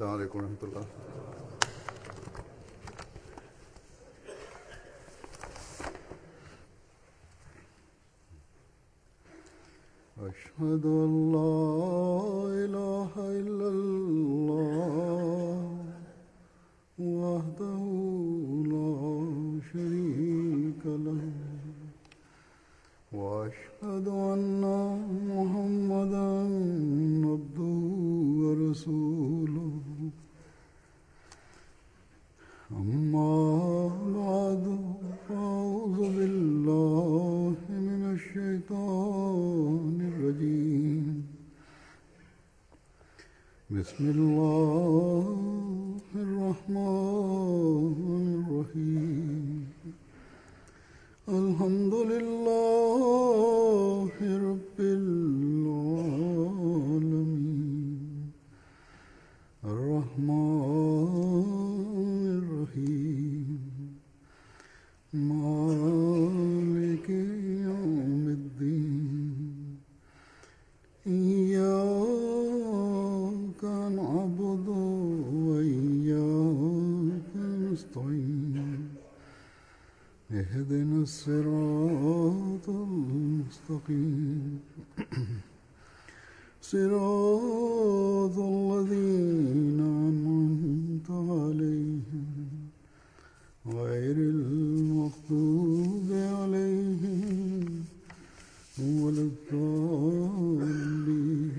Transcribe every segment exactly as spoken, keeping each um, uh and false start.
السلام علیکم ورحمۃ اللہ۔ اشهد ان لا اله الا الله وحده لا شريك له واشهد ان محمدا عبده ورسوله اما بعد فاعوذ بالله من الشيطان الرجيم بسم الله الرحمن الرحيم الحمد لله رب العالمين الرحمن الرحيم مالك يوم الدين إياك نعبد وإياك نستعين اهدنا الصراط المستقيم صراط الذين أنعمت عليهم غير المغضوب عليهم ولا الضالين۔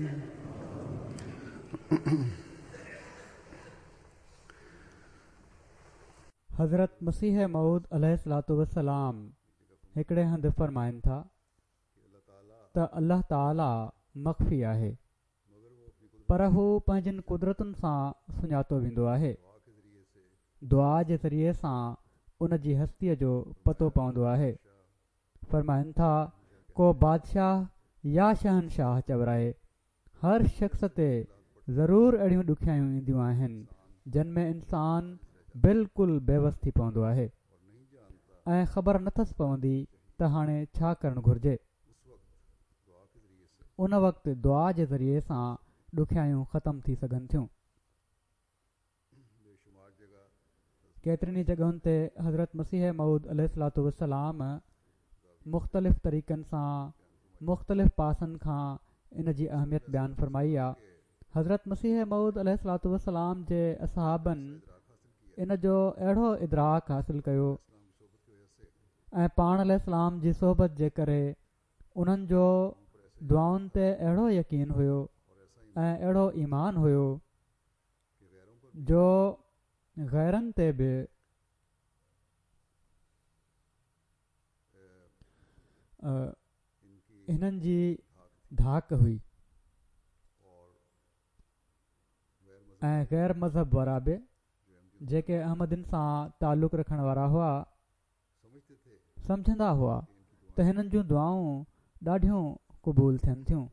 حضرت مسيح موعود عليه الصلوة والسلام هڪڙي هنڌ فرمائن ٿا ته الله تعاليٰ مخفي آهي، پر هو پنهنجن قدرتن سان سڃاتو ويندو آهي۔ دعا جي ذريعي سان ان جي هستيءَ جو پتو پوندو آهي۔ فرمائن ٿا ڪو بادشاهه يا شهنشاهه چورائي، هر شخص تي ضرور اهڙيون ڏکيائيون اينديون آهن جن ۾ انسان بلڪل بيوس ٿي پوندو آهي ۽ خبر نٿس پوندي ته هاڻي ڇا ڪرڻ گهرجي۔ ان وقت دعا جي ذريعي سان ڏکيائيون ختم ٿي سگهن ٿيون۔ ڪيترين ئي جڳهن تي حضرت مسيح موعود عليه الصلوة والسلام مختلف طريقن سان مختلف پاسن کان ان جي اهميت بيان فرمائي آ۔ حضرت مسيح موعود عليه الصلوة والسلام جي اصحابن ان جو اهڙو ادراڪ حاصل ڪيو ۽ پاڻ عليه السلام جي صحبت جي ڪري انهن جو دعائن تي اهڙو يقين هيو ۽ اهڙو ايمان هيو جو غيرن تي به هنن جي ڌاڪ هئي ۽ غير مذهب وارا به جيڪي احمدين سان تعلق رکڻ وارا هئا سمجهندا هئا ته هنن جون دعائون ڏاڍيون قبول ٿين ٿيون۔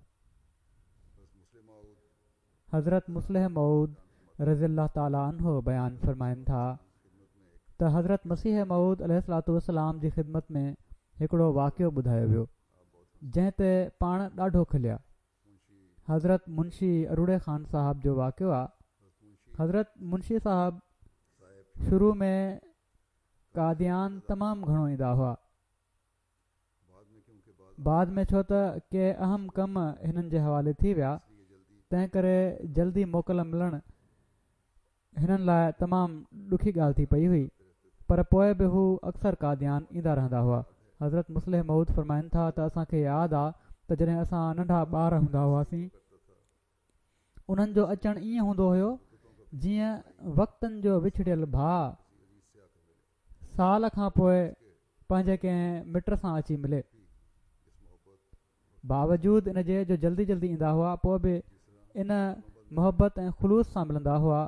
حضرت مصلح موعود رضي الله تعاليٰ عنه بيان فرمائن ٿا ته حضرت مسيح موعود عليه الصلوة والسلام جي خدمت ۾ هڪڙو واقعو ٻڌايو ويو جنهن تي پاڻ ڏاڍو کليا۔ حضرت منشي اروڙي خان صاحب جو واقعو آ۔ حضرت منشي صاحب شروع ۾ قاديان تمام گهڻو ايندا هئا، بعد ۾ ڇو ته ڪي اهم ڪم هنن جي حوالي ٿي ويا، تنهن ڪري جلدي موڪل ملڻ هنن لاءِ تمام ڏکي ڳالهه ٿي پئي هئي، پر پوءِ به هو اڪثر قاديان ايندا رهندا هئا۔ حضرت مصلح موعود فرمائن ٿا ته اسان کي ياد آ ته جڏهن اسان ننڍا ٻار هوندا هئاسين انهن جو اچڻ ائين هوندو هيو جيئن وقتن جو وڇڙيل ڀاءُ سال کان پوءِ پنهنجي ڪنهن مٽ سان اچي ملي۔ باوجود ان جي جو جلدي جلدي ايندا هئا، پوءِ به ان محبت ۽ خلوص سان ملندا هئا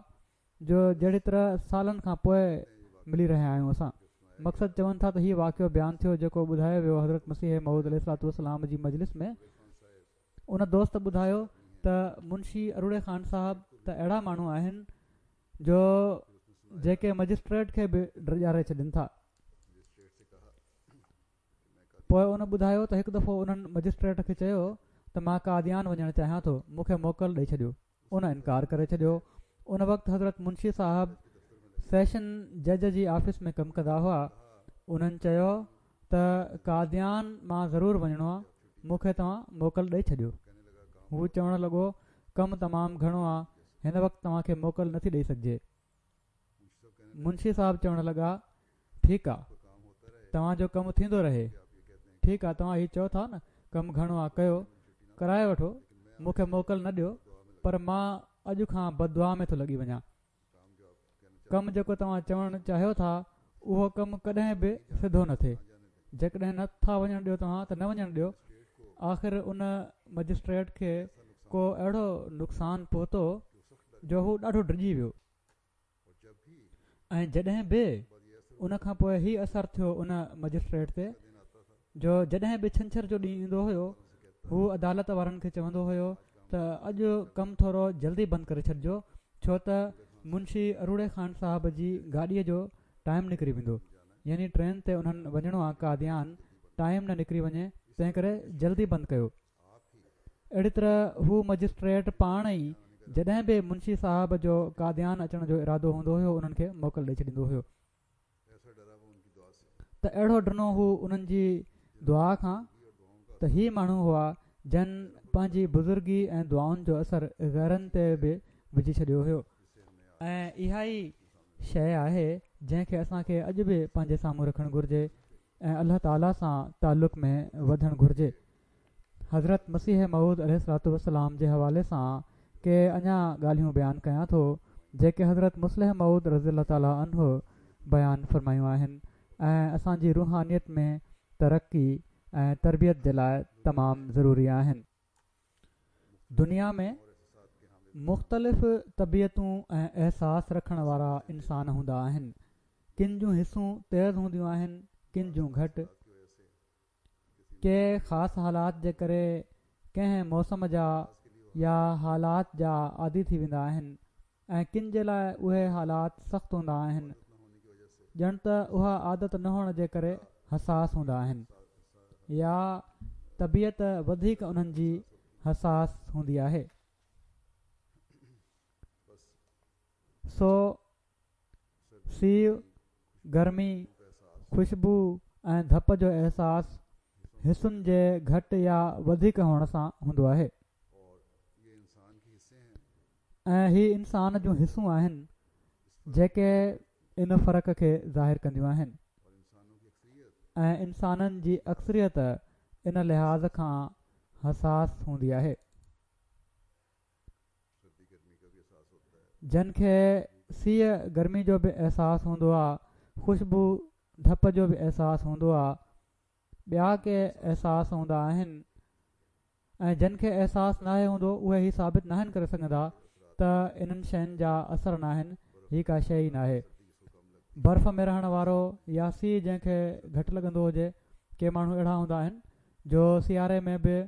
جو جهڙي طرح سالن کان پوءِ ملي رهيا آهيون اسان۔ مقصد چون ٿا ته هيءُ واقعو بيان ٿيو جيڪو ٻڌايو ويو حضرت مسيح موعود عليه الصلوة والسلام جي مجلس ۾۔ ان دوست ٻڌايو ته منشي اروڙي خان صاحب ته اهڙا ماڻهو آهن جو جيڪي مئجسٽريٽ کي به ڊڄاري ڇڏين ٿا۔ پوءِ ان ٻڌايو ته هڪ دفعو انهن مئجسٽريٽ کي چيو ته مان قاديان وڃڻ چاهيان ٿو، مون کي موڪل ڏئي ڇڏيو۔ ان انڪار ڪري ڇڏيو ان وقت حضرت منشي صاحب سيشن جج جي آفيس ۾ ڪم ڪندا هئا. انهن چيو ته قاديان مان ضرور وڃڻو آ، مون کي توهان موڪل ڏئي ڇڏيو. هو چوڻ لڳو ڪم تمام گهڻو آ، هن وقت توهان کي موڪل نٿي ڏئي سگهجي. منشي صاحب چوڻ لڳا ٺيڪ آ، توهان جو ڪم ٿيندو رهي. ٺيڪ آ، توهان هي چئو ٿا نه ڪم گهڻو آ، ڪيو ڪرائي وٺو، مون کي موڪل نه ڏيو، پر مان اڄ کان بددعا ۾ ٿو لڳي وڃان. ڪم جيڪو توهان چوڻ چاهيو ٿا اهو ڪم ڪڏهن به سڌو نه ٿئي. جيڪڏهن نه ٿا وڃڻ ڏيو توهان ته نه وڃڻ ڏيو. آخر ان مئجسٽريٽ کي ڪو اهڙو نقصان پهتو جو هو ڏاڍو ڊڄي ويو. ۽ جڏهن به ان کان پوءِ هي اثر ٿيو ان مئجسٽريٽ تي جو جڏهن به ڇنڇر جو ڏينهن ايندو هيو هو عدالت وارن کي چوندو هيو ته اڄ ڪم ٿورو جلدي بند ڪري ڇڏجو، ڇو ته منشي اروڙي خان صاحب جي گاڏيءَ جو ٽائيم نڪري ويندو، يعني ٽرين تي انهن وڃڻو آ قاديان، ٽائيم نه نڪري وڃي، تنهن ڪري جلدي بند ڪيو. اهڙي طرح هو مئجسٽريٽ پاڻ ئي جڏهن به منشي صاحب جو قاديان اچڻ جو ارادو هوندو هيو انهن کي موڪل ڏئي ڇڏيندو هيو. ته اهڙو ڊنو هو انهن جي دعا کان ته هي ماڻهو هئا جن پنهنجي بزرگي ۽ دعائن جو اثر غيرن تي به وجهي ڇڏيو هيو. ۽ اها ئي شيءِ آهي جنهن کي اسان کي اڄ به پنهنجي سامهون رکڻ گهرجي ۽ الله تعاليٰ سان تعلق ۾ وڌڻ گهرجي. حضرت مسيح موعود عليه الصلوة والسلام جي حوالي سان ڪي اڃا ڳالهيون بيان ڪيان ٿو جيڪي حضرت مصلح موعود رضي الله تعاليٰ عنه بيان فرمايون آهن ۽ اسان جي روحانيت ۾ ترقي ۽ تربيت جي لاءِ تمام ضروري آهن. دنيا ۾ مختلف طبيعتون ۽ احساس رکڻ وارا انسان هوندا آهن. ڪن جون حسون تيز هونديون آهن، ڪن جون گهٽ. ڪي خاص حالات جي ڪري ڪنهن موسم جا يا حالات جا عادي ٿي ويندا آهن ۽ ڪن جي لاءِ اهي حالات سخت هوندا آهن، ڄڻ ته اها عادت نه هئڻ جي ڪري حساس هوندا آهن يا طبيعت وڌيڪ انهن جي حساس هوندي آهي. سو سيءُ، گرمي، خوشبو ۽ ڌپ جو احساس حسن جي گهٽ يا وڌيڪ هئڻ سان هوندو آهي. ۽ هي انسان جون حسون آهن جيڪي ان فرق کي ظاهر ڪنديون آهن ۽ انسانن جي اڪثريت ان لحاظ کان حساس هوندي آهي. جن کي سيءُ گرمي جو به احساس هوندو آهي، خوشبو ڌپ جو به احساس هوندو آهي، ٻيا ڪي احساس هوندا آهن ۽ جن کي احساس ناهي هوندو اهي هي ثابت ناهن ڪري سگهندا ته انهن شين جا اثر ناهن، هي ڪا شيءِ ئي ناهي. برف ۾ رهڻ وارو يا سيءُ جنهن کي گهٽ لڳندو هجي، ڪي ماڻهو اهڙا هوندا آهن جو سياري ۾ به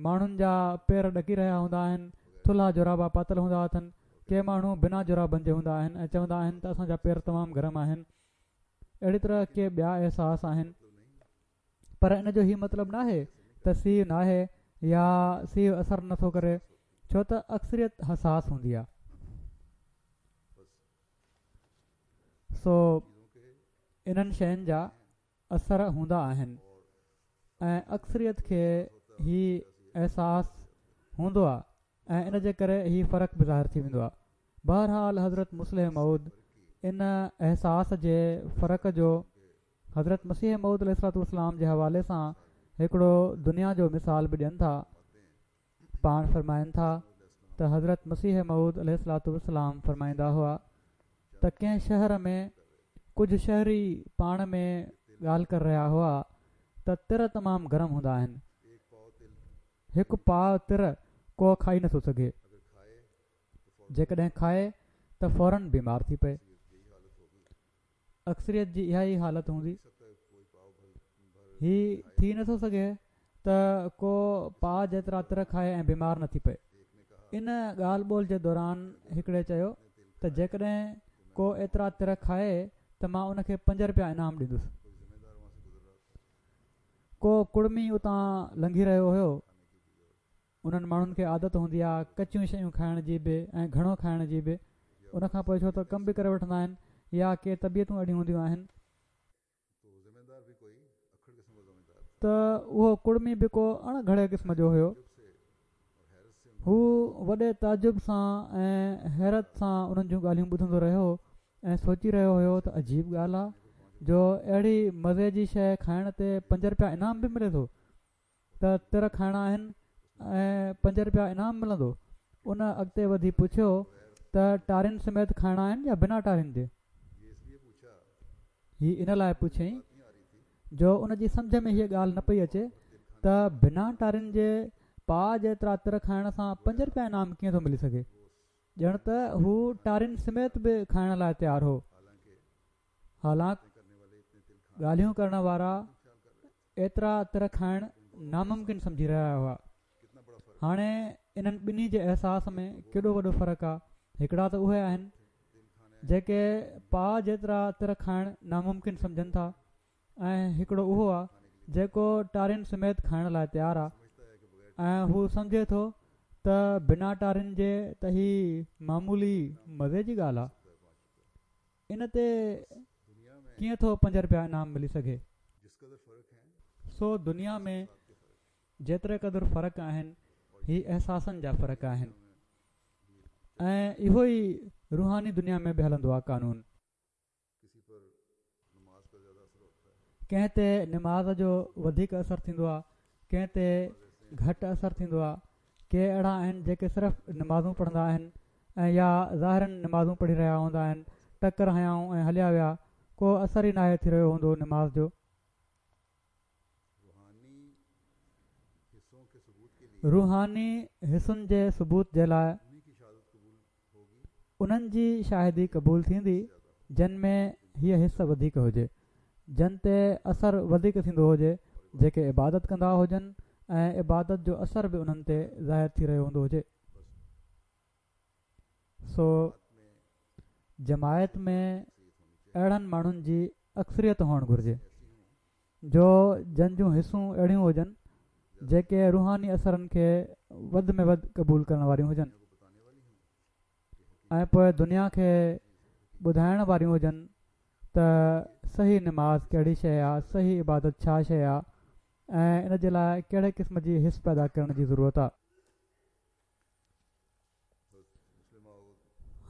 ماڻهن جا پير ڏڪي رهيا هوندا آهن، ٿلها جورابا پاتل هوندا اٿن. ڪي ماڻهو بنا جورابن جي هوندا آهن ۽ چوندا آهن ته اسان جا پير تمام گرم آهن. اهڙي طرح ڪي ٻيا احساس آهن، پر ان جو هي مطلب ناهي ته سيءُ ناهي يا سيءُ اثر نٿو ڪري، ڇو ته اڪثريت حساس هوندي آهي. سو انهن شين جا اثر هوندا آهن ۽ اڪثريت کي هي احساس هوندو آهي ۽ ان جي ڪري هي فرق به ظاهر ٿي ويندو آهي. بهرحال حضرت مصلح موعود ان احساس جي فرق جو حضرت مسيح موعود عليه الصلوة والسلام جي حوالي سان هڪڙو دنيا جو مثال به ڏين ٿا. پاڻ فرمائن ٿا ته حضرت مسيح موعود عليه الصلوة والسلام فرمائيندا هئا ته ڪنهن شهر ۾ ڪجهه شهري پاڻ ۾ ڳالهه ڪري رهيا هئا ته تر تمام گرم هوندا آهن، هڪ پاءُ تر ڪو کائي نٿو سگهي، جيڪڏهن کائي ته فورن بيمار ٿي پئي. اڪثريت جي اها ئي حالت هوندي. هي ٿي نٿو سگهي ته ڪو پاءُ جيترا تر کائي ۽ بيمار نه ٿي پئي. ان ڳالهه ٻولهه جي دوران هڪڙي چيو ته جيڪڏهن ڪو ايترا تر کائي ته مان ان کي پنج رپيا انعام ڏيندس. ڪو ڪڙمي اتان لنگهي رهيو هيو، انهن ماڻهن کي عادت هوندي آهي ڪچيون شيون کائڻ جي به ۽ گهڻو کائڻ جي به. ان کان پوءِ ڇو ته ڪم به ڪري وٺندا آهن يا ڪي طبيعتون اهڙيون هونديون آهن. ته اهو ڪڙمي به ڪو اڻ گهڙي قسم جو هيو. هو وڏي تعجب سان ۽ حيرت سان انهن جون ڳالهيون ٻڌندو رهيو ۽ سوچي رهيو هيو ته عجيب ڳالهه آهي جو اهڙي مزي جي شيءِ کائڻ تي پنج رپيا انعام به ملي ٿو. ته تر کائڻا آهن ۽ پنج رپيا انعام ملندو. ان اڳتي وڌي پڇيو ته ٽارين سميت کائڻا آهن يا بنا ٽارين جي؟ هي ان لاءِ پڇيائين جو ان جي سمجهه ۾ هيءَ ڳالهه نه پئي اچي ته بنا ٽارين جي پاءُ جيترا تر کائڻ سان پنج رپيا انعام ڪيئن ٿو ملي سگهي. ڄڻ ته هو ٽارين سميت به کائڻ لاءِ تيار هو. حالانڪ ڳالهيون ڪرڻ وارا ايترا تر کائڻ ناممڪن سمجهي رهيا هئا. هاڻي انهن ٻنهي جي احساس ۾ ڪيڏو وڏو فرق آهي. هڪڙا ته اهي آهن جيڪي پاءُ جيترا تر کائڻ ناممڪن سمجهن ٿا ۽ هڪڙو اهو آهي جيڪو ٽارين سميت کائڻ لاءِ تيار آهي ۽ هو سمجهي ٿو ته بنا ٽارين جي ته هي معمولي مزي جي ڳالهه آهي. ان تي ڪيئن ٿو پنج رپيا انعام ملي سگهي؟ سو دنيا ۾ جيتري قدر فرق آهن هي احساسن جا فرق آهن ۽ اهو ئي روحاني دنيا ۾ به هلندو آهي قانون. ڪنهن تي نماز جو وڌيڪ اثر ٿيندو آهي، ڪنهن تي گهٽ اثر ٿيندو آهي. ڪي اهڙا آهن جيڪي صرف نمازون پڙهندا آهن ۽ يا ظاهرن نمازون پڙهي رهيا هوندا آهن، ٽڪر هنيائون ۽ هليا ويا، ڪو اثر ئي ناهي ٿي رهيو هوندو نماز جو. روحاني حصن جي ثبوت جي لاءِ انهن جي شاهدي قبول ٿيندي جن ۾ هيءَ حص وڌيڪ هجي، جن تي اثر وڌيڪ ٿيندو هجي، جيڪي عبادت ڪندا هجن ۽ عبادت جو اثر به انهن تي ظاهر ٿي رهيو هوندو هجي. سو جماعت ۾ اهڙن ماڻهن جي اڪثريت هئڻ گهرجي جو جن جون حصون اهڙيون هجن جيڪي روحاني اثرن کي وڌ ۾ وڌ قبول ڪرڻ واريون هجن ۽ پوءِ دنيا کي ٻڌائڻ واريون هجن ته صحيح نماز ڪهڙي شيءِ آهي، صحيح عبادت ڇا شيءِ آهي ۽ ان جي لاءِ ڪهڙي قسم جي حص پيدا ڪرڻ جي ضرورت آهي.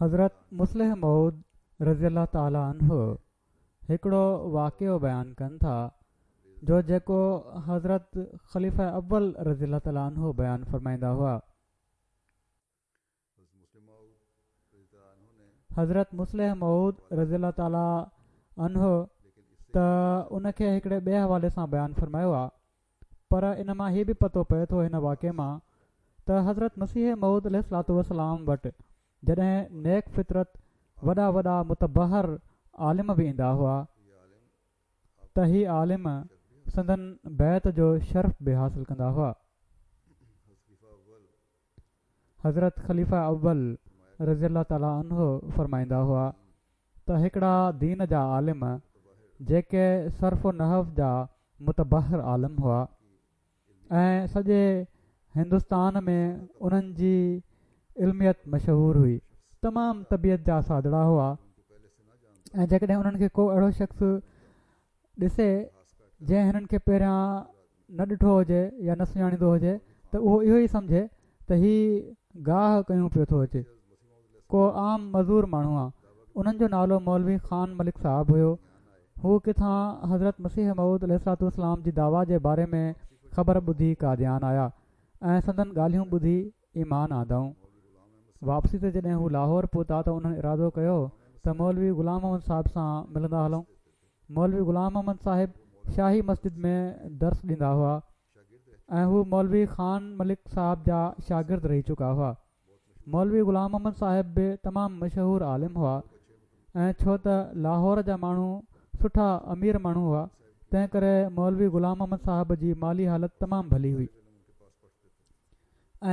حضرت مصلح موعود رضي الله تعاليٰ عنه هڪڙو واقعو بيان ڪن ٿا جو جيڪو حضرت خليفه اول رضي الله تعاليٰ عنه بيان فرمائيندا هئا. حضرت مصلح موعود رضي الله تعاليٰ عنه ته ان کي هڪڙي ٻئي حوالي سان بيان فرمايو آهي، پر ان مان هي به پتو پئي ٿو هن واقعي مان ته حضرت مسيح موعود عليه الصلوة والسلام وٽ جڏهن نيڪ فطرت وڏا وڏا متبحر عالم به ايندا هئا ته هي عالم سندن بيعت جو شرف به حاصل ڪندا هئا. حضرت خليفه اول رضي الله تعاليٰ عنه فرمائيندا هئا ته هڪڙا دين جا عالم جيڪي صرف و نحو جا متبحر عالم هئا ۽ سڄي هندستان ۾ انهن جي علميت مشهور هئي، تمام طبيعت جا سادڙا هئا ۽ جيڪڏهن انهن کي ڪو اهڙو شخص ڏسي جنهن هنن کي پهريان نه ڏٺو هجي يا نه سڃاڻيندو هجي ته اهو اهو ئي سمجهي ته هي گاهه ڪيون پيو ٿو اچي، ڪو عام مزور ماڻهو آهي. انهن جو نالو مولوي خان ملڪ صاحب هيو. هو ڪٿان حضرت مسيح موعود عليه الصلوة والسلام جي دعويٰ جي باري ۾ خبر ٻڌي قاديان آيا ۽ سندن ڳالهيون ٻڌي ايمان آندائون. واپسي تي جڏهن هو لاهور پهتا ته انهن ارادو ڪيو ته مولوي غلام محمد صاحب سان ملندا هلون. مولوي غلام محمد صاحب شاهي مسجد ۾ درس ڏيندا هئا ۽ هو مولوي خان ملڪ صاحب جا شاگرد رهي چڪا هئا. مولوي غلام محمد صاحب به تمام مشهور عالم هئا ۽ ڇو ته لاهور جا ماڻهو سٺا امير ماڻهو هئا، تنهن ڪري مولوي غلام محمد صاحب جي مالي حالت تمام ڀلي هئي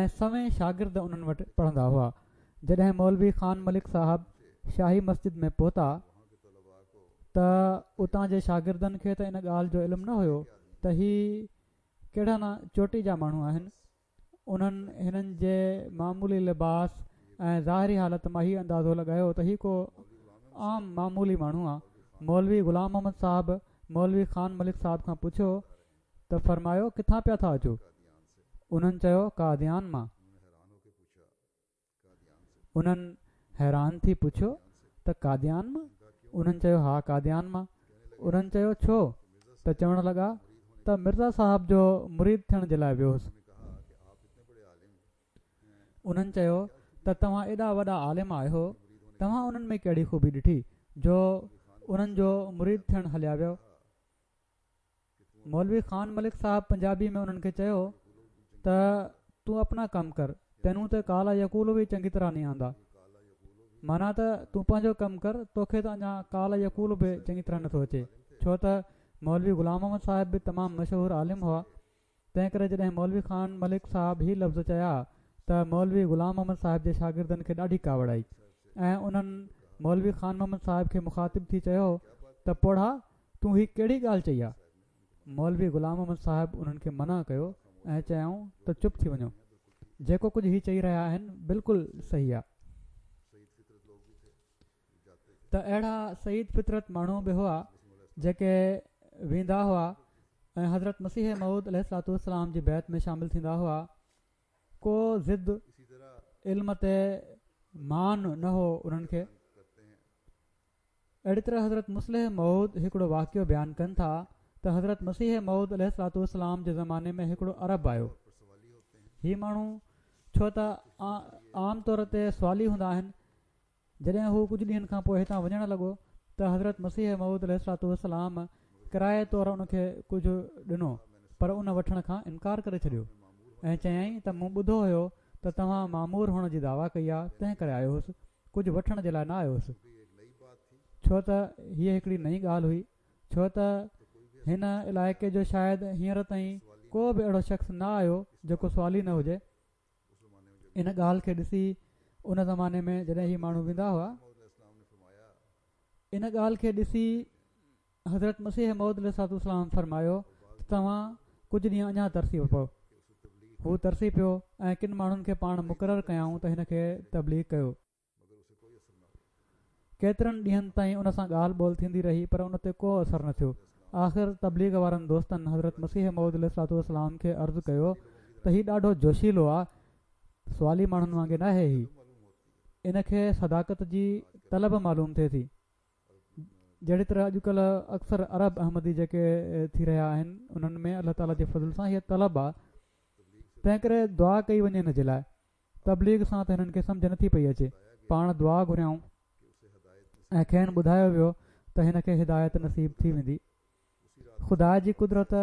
۽ سوين شاگرد انهن وٽ پڙهندا هئا. جڏهن مولوي خان ملڪ صاحب شاهي مسجد ۾ پهتا ته اتان جي شاگردن کي ته ان ڳالهه جو علم نه هيو ته هي ڪهڙا نه چوٽي جا ماڻهو آهن. انهن هنن جي معمولي لباس ۽ ظاهري حالت مان هي اندازو لڳايو ته هي ڪو عام معمولي ماڻهو آ. مولوي غلام محمد صاحب مولوي خان ملڪ صاحب کان پڇيو ته فرمايو ڪٿان پيا ٿا اچو؟ انهن چيو قاديان مان. انهن حيران ٿي پڇيو ته قاديان مان؟ انهن چيو ها قاديان مان. انهن چيو ڇو؟ ته چوڻ لڳا ته مرزا صاحب جو مريد ٿيڻ جي لاءِ ويو هوس. انهن چيو ته توهان ايڏا وڏا عالم آهيو، توهان انهن ۾ ڪهڙي خوبي ڏٺي جو انهن جو مريد ٿيڻ هليا ويو؟ مولوي خان ملڪ صاحب پنجابي ۾ انهن کي چيو ته تون اپنا ڪم ڪر، تينون ته قال يقول به چڱي طرح نهين آندا. معنيٰ ته تون پنهنجو ڪم ڪر، توکي ته اڃا قال يقول به چڱي طرح نٿو اچي. ڇو ته مولوي غلام محمد صاحب به تمام مشهور عالم هئا، تنهن ڪري جڏهن مولوي خان ملڪ صاحب هي لفظ چيا ته مولوي غلام محمد صاحب جي شاگردن کي ڏاڍي ڪاوڙ آئي ۽ انهن مولوي خان محمد صاحب کي مخاطب ٿي چيو ته پوڙها تون هي ڪهڙي ڳالهه چئي آ؟ مولوي غلام محمد صاحب انهن کي منع ڪيو ۽ چيائون ته چپ ٿي وڃو، جيڪو ڪجهه هي چئي رهيا آهن بلڪل صحيح آ. ته اهڙا سعيد فطرت ماڻهو به هئا جيڪي ويندا هئا ۽ حضرت مسيح موعود عليه الصلوة والسلام جي بيعت ۾ شامل ٿيندا هئا. ڪو ضد علم تي مان نه هو انهن کي. اهڙي طرح حضرت مصلح موعود هڪڙو واقعو بيان ڪن ٿا ته حضرت مسيح موعود عليه الصلوة والسلام جي زماني ۾ هڪڙو عرب آيو. هي ماڻهو ڇو ته عام طور تي سوالي هوندا آهن، جڏهن هو ڪجهه ڏينهن کان پوءِ هتان وڃڻ لڳو ته حضرت مسيح موعود عليه الصلوة والسلام ڪرائي طور ان کي ڪجهه ڏنو، پر ان وٺڻ کان انڪار ڪري ڇڏيو ۽ چيائين ته مون ٻڌو هيو ته توهان مامور هئڻ جي دعويٰ ڪئي آ، تنهن ڪري آيو هوس، ڪجهه وٺڻ جي لاءِ نه آيو هوس. ڇو ته هيءَ هڪڙي نئين ڳالهه هئي، ڇو ته هن علائقي جو شايد هينئر تائين ڪو به اهڙو شخص نه آيو جيڪو سوالي نه هجي. ان ڳالهه کي ڏسي ان زماني ۾ جڏهن هي ماڻهو ويندا هئا، ان ڳالهه کي ڏسي حضرت مسيح موعود عليه الصلوة والسلام فرمايو ته توهان ڪجهه ڏينهن اڃا ترسي پئو. هو ترسي پيو ۽ ڪن ماڻهن کي پاڻ مقرر ڪيائون ته هن کي تبليغ ڪيو. ڪيترن ڏينهن تائين ان سان ڳالهه ٻولهه ٿيندي رهي پر ان تي ڪو اثر نه ٿيو. آخر تبليغ وارن دوستن حضرت مسيح موعود عليه الصلوة والسلام کي عرض ڪيو ته هي ڏاڍو جوشيلو آ، سوالي ماڻهن وانگي ناهي هي، ان کي صداقت جي طلب معلوم ٿئي ٿي. جهڙي طرح اڄڪلهه اڪثر عرب احمدي جيڪي ٿي رهيا آهن انهن ۾ الله تعاليٰ جي فضل سان هيءَ طلب آ، تنهن ڪري دعا ڪئي وڃي هن جي لاءِ. تبليغ سان ته هنن کي سمجهه نٿي پئي اچي. پاڻ دعا گهريائون ۽ کين ٻڌايو ويو ته هن کي هدايت نصيب ٿي ويندي. خدا جي قدرت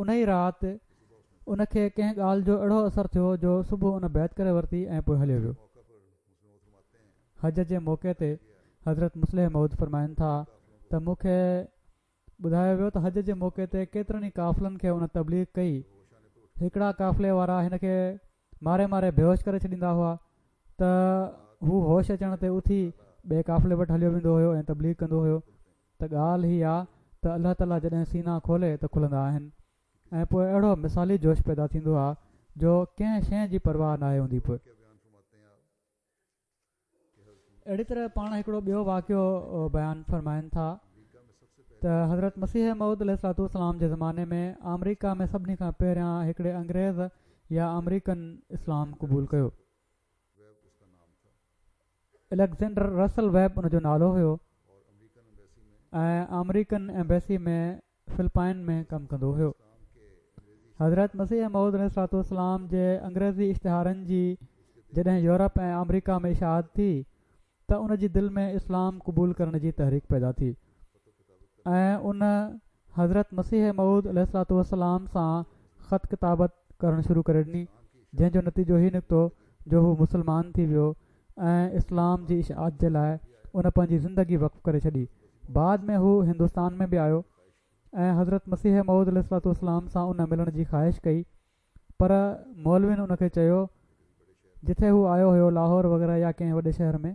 ان ئي رات ان کي ڪنهن ڳالهه جو اهڙو اثر ٿيو جو صبح ان بيعت ڪري ورتي ۽ پوءِ هليو ويو. حج جي موقعي تي حضرت مصلح موعود فرمائن ٿا ته مون کي ٻڌايو ويو ته حج جي موقعي تي ڪيترن ئي قافلن کي ان تبليغ ڪئي. هڪڙا قافلي وارا هن کي ماري ماري بيهوش ڪري ڇڏيندا هئا ته هو هوش اچڻ تي اٿي ٻئي قافلي وٽ هليو ويندو هيو ۽ تبليغ ڪندو هيو. ته ڳالهه هي آ ته الله تعاليٰ جڏهن سينا کولي ته کلندا آهن ۽ پوءِ اهڙو مثالي جوش پيدا ٿيندو آ جو ڪنهن شيءِ جي پرواهه ناهي هوندي. پوءِ اهڙي طرح پاڻ هڪڙو ٻيو واقعو بيان فرمائن ٿا ته حضرت مسيح موعود عليه الصلوة والسلام جي زماني ۾ آمريڪا ۾ سڀني کان پهريان هڪڙي انگريز يا آمريڪن اسلام قبول ڪيو. اليگزينڊر رسل ويب ان جو نالو هيو ۽ آمريڪن ايمبيسي ۾ فلپائن ۾ ڪم ڪندو هيو. حضرت مسيح موعود عليه الصلوة والسلام جي انگريزي اشتهارن جي جڏهن يورپ ۽ آمريڪا ۾ اشاعت ٿي ته ان جي دل ۾ اسلام قبول ڪرڻ جي تحريڪ پيدا ٿي ۽ ان حضرت مسيح موعود عليه الصلوة والسلام سان خط ڪتابت ڪرڻ شروع ڪري ڏني، جنهن جو نتيجو هي نڪتو جو هو مسلمان ٿي ويو ۽ اسلام جي اشاعت جي لاءِ ان پنهنجي زندگي وقف ڪري ڇڏي. بعد ۾ هو هندستان ۾ به آيو ۽ حضرت مسيح موعود عليه الصلوة والسلام سان ان ملڻ جي خواهش ڪئي، پر مولوين ان کي چيو جتي هو آيو هيو لاهور وغيره يا ڪنهن وڏي شهر ۾،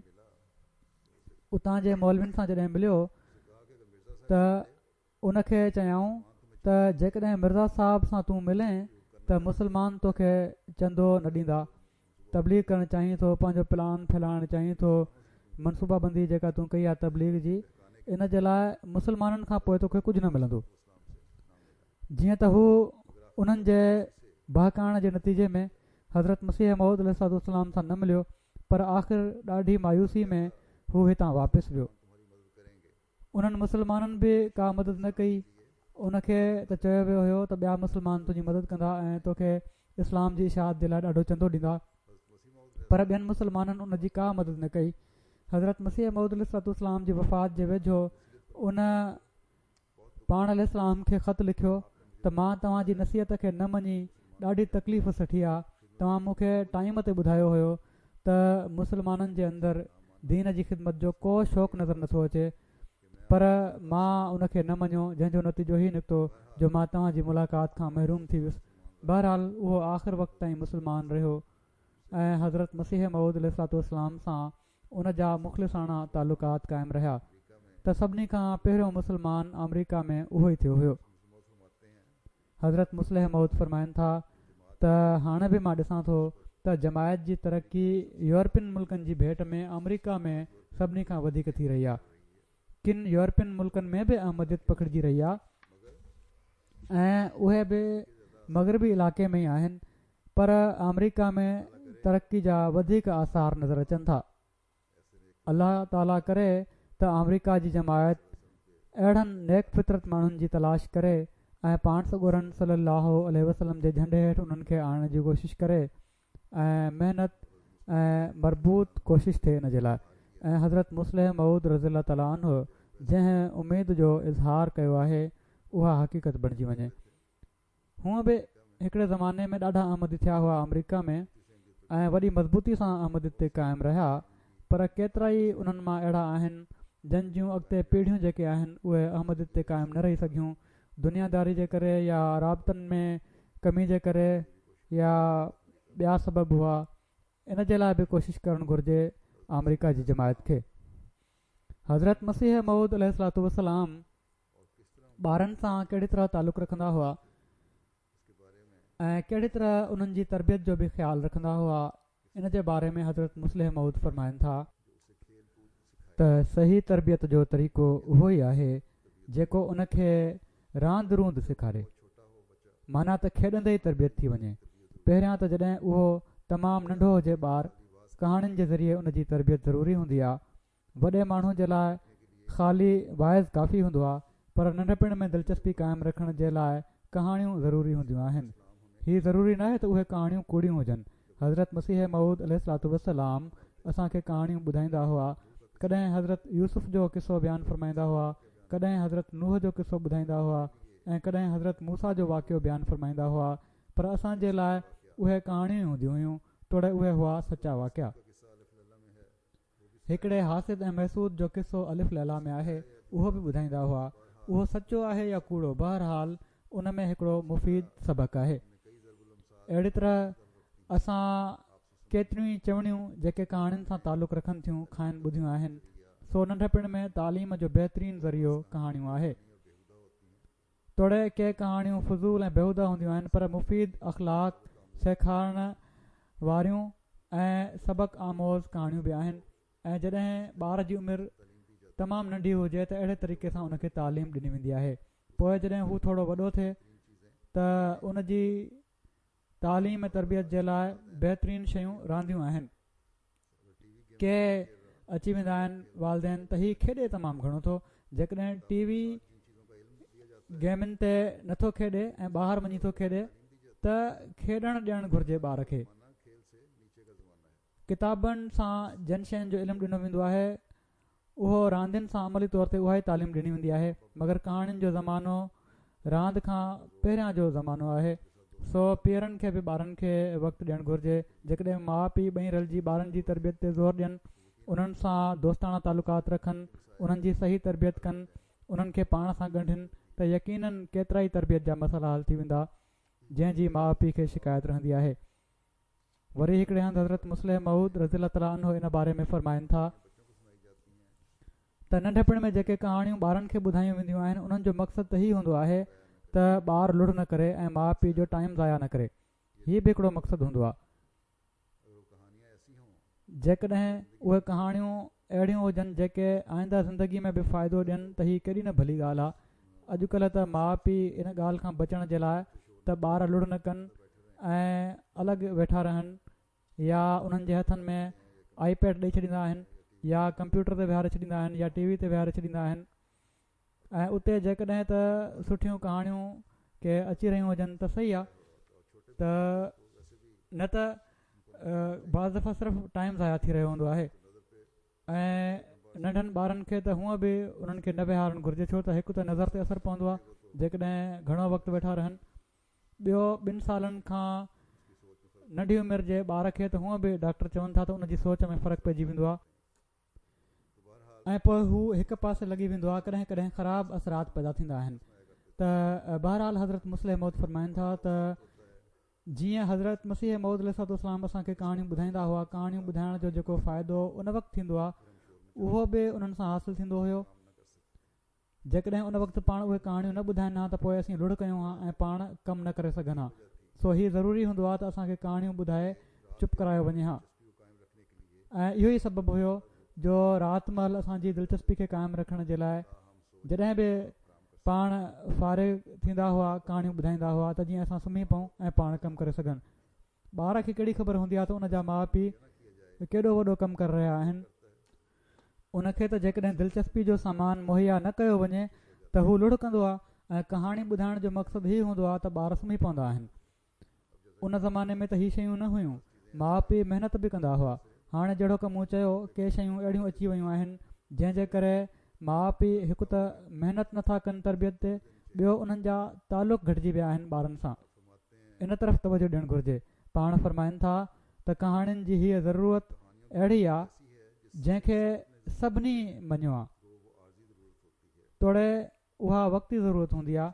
اتان جي مولوين سان جڏهن مليو ته ان کي چيائون ته جيڪڏهن مرزا صاحب سان تون ملين ته ته مسلمان توکي چندو نه ڏيندا. تبليغ ڪرڻ چاهين ٿو، پنهنجو پلان ڦهلائڻ چاهين ٿو، منصوبه بندي جيڪا تون ڪئي آهي تبليغ جي، ان جي لاء مسلمانن کان پوءِ توکي ڪجهه نه ملندو. جيئن ته هو انهن جي بهڪائڻ جي نتيجي ۾ حضرت مسيح موعود عليه الصلوة والسلام سان نه مليو، پر آخر ڏاڍي مايوسي ۾ هو هتان واپس ويو. انهن مسلمانن به ڪا مدد نه ڪئي. ان کي ته چيو ويو هيو ته ٻيا مسلمان تنهنجي مدد ڪندا ۽ توکي اسلام جي اشاعت جي لاءِ ڏاڍو چندو ڏيندا، پر ٻين مسلمانن ان جي ڪا مدد نه ڪئي. حضرت مسيح موعود عليه الصلوة والسلام جي وفات جي ويجهو ان پاڻ عليه السلام کي خط لکيو ته مان توهان جي نصيحت کي نه مڃي ڏاڍي تڪليف سٺي آهي. توهان مون کي ٽائيم تي ٻڌايو هيو ته مسلمانن جي اندر دين جي خدمت جو ڪو شوق نظر نٿو اچي، پر مان ان کي نه مڃيو، جنهن جو نتيجو هي نڪتو جو مان توهان جي ملاقات کان محروم ٿي ويس. بهرحال اهو آخر وقت تائين مسلمان رهيو ۽ حضرت مسيح موعود عليه الصلوة والسلام سان ان جا مخلصانه تعلقات قائم رهيا ته سڀني کان پهريون مسلمان آمريڪا ۾ اهو ئي ٿيو هيو. حضرت مصلح موعود فرمائن ٿا ته هاڻي به مان ڏسان ٿو ته جماعت جي ترقي يورپين ملڪن جي ڀيٽ ۾ آمريڪا ۾ سڀني کان وڌيڪ ٿي رهي آهي. ڪن يورپين ملڪن ۾ به احمديت پکڙجي رهي آهي ۽ اهي به مغربي علائقي ۾ ئي آهن، پر آمريڪا ۾ ترقي جا وڌيڪ آثار نظر اچن ٿا. الله تعاليٰ ڪري ته آمريڪا جي جماعت اهڙن نيڪ فطرت ماڻهن جي تلاش ڪري ۽ پاڻ سڳورن صلي الله عليه وسلم جي جهنڊي هيٺ انهن کي آڻڻ جي ڪوشش ڪري ۽ محنت ۽ مربوط ڪوشش ٿئي ان جي لاءِ. ۽ حضرت مصلح موعود رضي الله تعاليٰ عنه جنهن اميد جو اظهار ڪيو آهي اها حقيقت بڻجي وڃي. هونءَ به هڪڙي زماني ۾ ڏاڍا احمدي ٿيا هئا آمريڪا ۾ ۽ وڏي مضبوطي سان احمديت تي قائم رهيا، پر ڪيترا ئي انهن مان اهڙا آهن جن جون اڳتي پيڙهيون جيڪي آهن اهي احمديت تي قائم نه رهي سگهيون، دنياداري جي ڪري يا رابطن ۾ ڪمي جي ڪري يا ٻيا سبب هئا. ان جي لاءِ به ڪوشش ڪرڻ گهرجي آمريڪا جي جماعت کي. حضرت مسيح موعود عليه الصلوة والسلام ٻارن سان ڪهڙي طرح تعلق رکندا هئا ۽ ڪهڙي طرح انهن جي تربيت جو به خيال رکندا هئا، ان جي باري ۾ حضرت مصلح موعود فرمائن ٿا ته صحيح تربيت جو طريقو اهو ئي آهي جيڪو ان کي راند روند سيکاري، معنيٰ ته کيڏندي ئي تربيت ٿي وڃي. پهريان ته جڏهن اهو تمام ننڍو هجي ٻار، ڪهاڻين جي ذريعي ان جي تربيت ضروري هوندي آهي. وڏي ماڻهو جي لاءِ خالي واعظ ڪافي هوندو آهي، پر ننڍپڻ ۾ دلچسپي قائم رکڻ جي لاءِ ڪهاڻيون ضروري هونديون آهن. هي ضروري ناهي ته اهي ڪهاڻيون ڪوڙيون هجن. حضرت مسيح موعود عليه الصلوة والسلام اسان کي ڪهاڻيون ٻڌائيندا هئا. ڪڏهن حضرت يوسف جو قصو بيان فرمائيندا هئا، ڪڏهن حضرت نوح جو قصو ٻڌائيندا هئا ۽ ڪڏهن حضرت موسيٰ جو واقعو بيان فرمائيندا هئا، پر اسان جي لاءِ اهي ڪهاڻيون هونديون هيون، توڙي اهي هئا سچا واقعا. هڪڙي حاسد ۽ محسود جو قصو الف ليليٰ ۾ آهي، اهو به ٻڌائيندا هئا. اهو سچو آهي يا ڪوڙو، بهرحال ان ۾ هڪڙو مفيد سبق آهي. اهڙي طرح اسان ڪيتريون ئي چوڻيون جيڪي ڪهاڻين سان تعلق رکن ٿيون کانئن ٻڌيون آهن. سو ننڍپڻ ۾ تعليم جو بهترين ذريعو ڪهاڻيون آهي. توڙي ڪي ڪهاڻيون فضول ۽ بيهوده هونديون آهن، پر مفيد اخلاق سيکارڻ واريون ۽ سبق آموز ڪهاڻيون به آهن. ۽ جڏهن ٻار جي عمر تمام ننڍي هجي ته اهڙي طريقي سان ان کي تعليم ڏني ويندي آهي. پوءِ جڏهن هو ٿورو وڏو ٿئي ته ان جي تعليم ۽ تربيت جي لاءِ بهترين شيون رانديون آهن. ڪي اچي ويندا آهن والدين ته هي کيڏي تمام گهڻو ٿو، جيڪڏهن ٽي وي گيمن تي نٿو کيڏي ۽ ٻاهر وڃي ٿو کيڏي ته کيڏڻ ڏيڻ گهرجي ٻار کي. ڪتابن سان جن شين جو علم ڏنو ويندو آهي اهو راندين سان عملي طور تي اها ئي تعليم ڏني ويندي آهي، مگر ڪهاڻين جو زمانو راند کان پهريان جو زمانو آهي. سو پيئرن کي به ٻارن کي وقت ڏيڻ گهرجي. جيڪڏهن ماءُ پيءُ ٻئي رلجي ٻارن جي تربيت تي زور ڏين، انهن سان دوستاڻا تعلقات رکن، انهن جي صحيح تربيت ڪن، انهن کي پاڻ سان ڳنڍين ته يقينن ڪيترا ئي تربيت جا مسئلا حل ٿي ويندا جنهن جي ماءُ پيءُ کي شڪايت رهندي آهي. وري هڪڙي هنڌ حضرت مصلح موعود رضي الله تعاليٰ عنه ان باري ۾ فرمائن ٿا ته ننڍپڻ ۾ جيڪي ڪهاڻيون ٻارن کي ٻڌايون وينديون آهن انهن جو مقصد ته هي هوندو آهي ته ٻار لڙ نه ڪري ۽ ماءُ پيءُ جو ٽائيم ضايع نه ڪري، هي به هڪڙو مقصد هوندو آهي. جيڪڏهن اهي ڪهاڻيون اهڙيون هجن جيڪي آئنده زندگي ۾ به فائدو ڏين ته هي ڪيڏي نه ڀلي ڳالهه آهي. اڄڪلهه ته ماءُ پيءُ ان ڳالهه کان بچڻ جي لاءِ ته ٻار لڙ نه ڪن ۽ الڳ ويٺا رهن يا انهن جي هٿن ۾ آئي پيڊ ڏئي ڇڏيندا آهن يا ڪمپيوٽر تي ويهاري ڇڏيندا آهن يا ٽي وي تي ويهاري ڇڏيندا آهن ۽ اتي جيڪڏهن ته سٺيون ڪهاڻيون ڪي اچي رهيون هجن ته صحيح آهي ته نه ته بعض دفعا صرف ٽائيم ضايع ٿي رهيو هوندو آهي. ۽ ننڍن ٻارن کي ته هونءَ به انهن کي نه ويهارڻ گهرجي، ڇو ته هڪ ته نظر تي اثر پوندو آهي جيڪڏهن گهڻو وقت ويٺا رهن، ٻيو ٻن سالن کان ننڍي عمر جي ٻار کي ته هونءَ به ڊاڪٽر چون ٿا ته ان جي سوچ ۾ فرق پئجي ويندو آهي ۽ پوءِ هو هڪ پاسي لڳي ويندو آهي. ڪڏهن ڪڏهن خراب اثرات پيدا ٿيندا آهن. ته بهرحال حضرت مصلح موعود فرمائن ٿا ته جيئن حضرت مسيح موعود عليه الصلوة والسلام اسان کي ڪهاڻيون ٻڌائيندا هئا، ڪهاڻيون ٻڌائڻ جو جيڪو فائدو ان وقت ٿيندو آهي اهو به انهن سان حاصل ٿيندو هيو. جيڪڏهن ان وقت پاڻ اهي ڪهاڻيون نه ٻڌائين ها ته پوءِ اسين لڙ ڪيون ها ۽ پاڻ ڪم نه ڪري سگهن ها. سو هي ضروري هوندو آهي ته اسان کي ڪهاڻيون ٻڌائي چپ ڪرايو وڃي ها. ۽ اهو ئي سبب هيو جو رات مهل اسان جي دلچسپي کي قائم رکڻ جي لاءِ جڏهن به پاڻ فارغ ٿيندا هئا ڪهاڻيون ٻڌائيندا هئا ته جيئن اسان سمهي پئون ۽ پاڻ ڪم ڪري سگهن. ٻار کي ڪهڙي خبر هوندي آهي ته ان جا ماءُ پيءُ ڪيڏو وڏو ڪم ڪري رهيا آهن. ان کي ته جيڪڏهن دلچسپي جو سامان مهيا نه ڪيو وڃي ته هو لڙ ڪندو آهي ۽ ڪهاڻي ٻڌائڻ جو مقصد هي هوندو آهي ته ٻار سمهي پوندا آهن. ان زماني ۾ ته هي شيون نه هيون، ماءُ پيءُ محنت به ڪندا هئا. هاڻي جهڙوڪ مون چيو ڪي شيون اهڙيون اچي ويون آهن جنهن جي ڪري ماءُ پيءُ هڪ ته محنت نٿا ڪن تربيت تي، ٻيو انهن جا تعلق گهٽجي ويا آهن ٻارن سان. ان طرف توجه ڏيڻ گهرجي. پاڻ فرمائن ٿا ته ڪهاڻين جي هيءَ ضرورت اهڙي آهي جنهن کي سڀني مڃيو آهي، توڙي اها وقتي ضرورت هوندي آهي.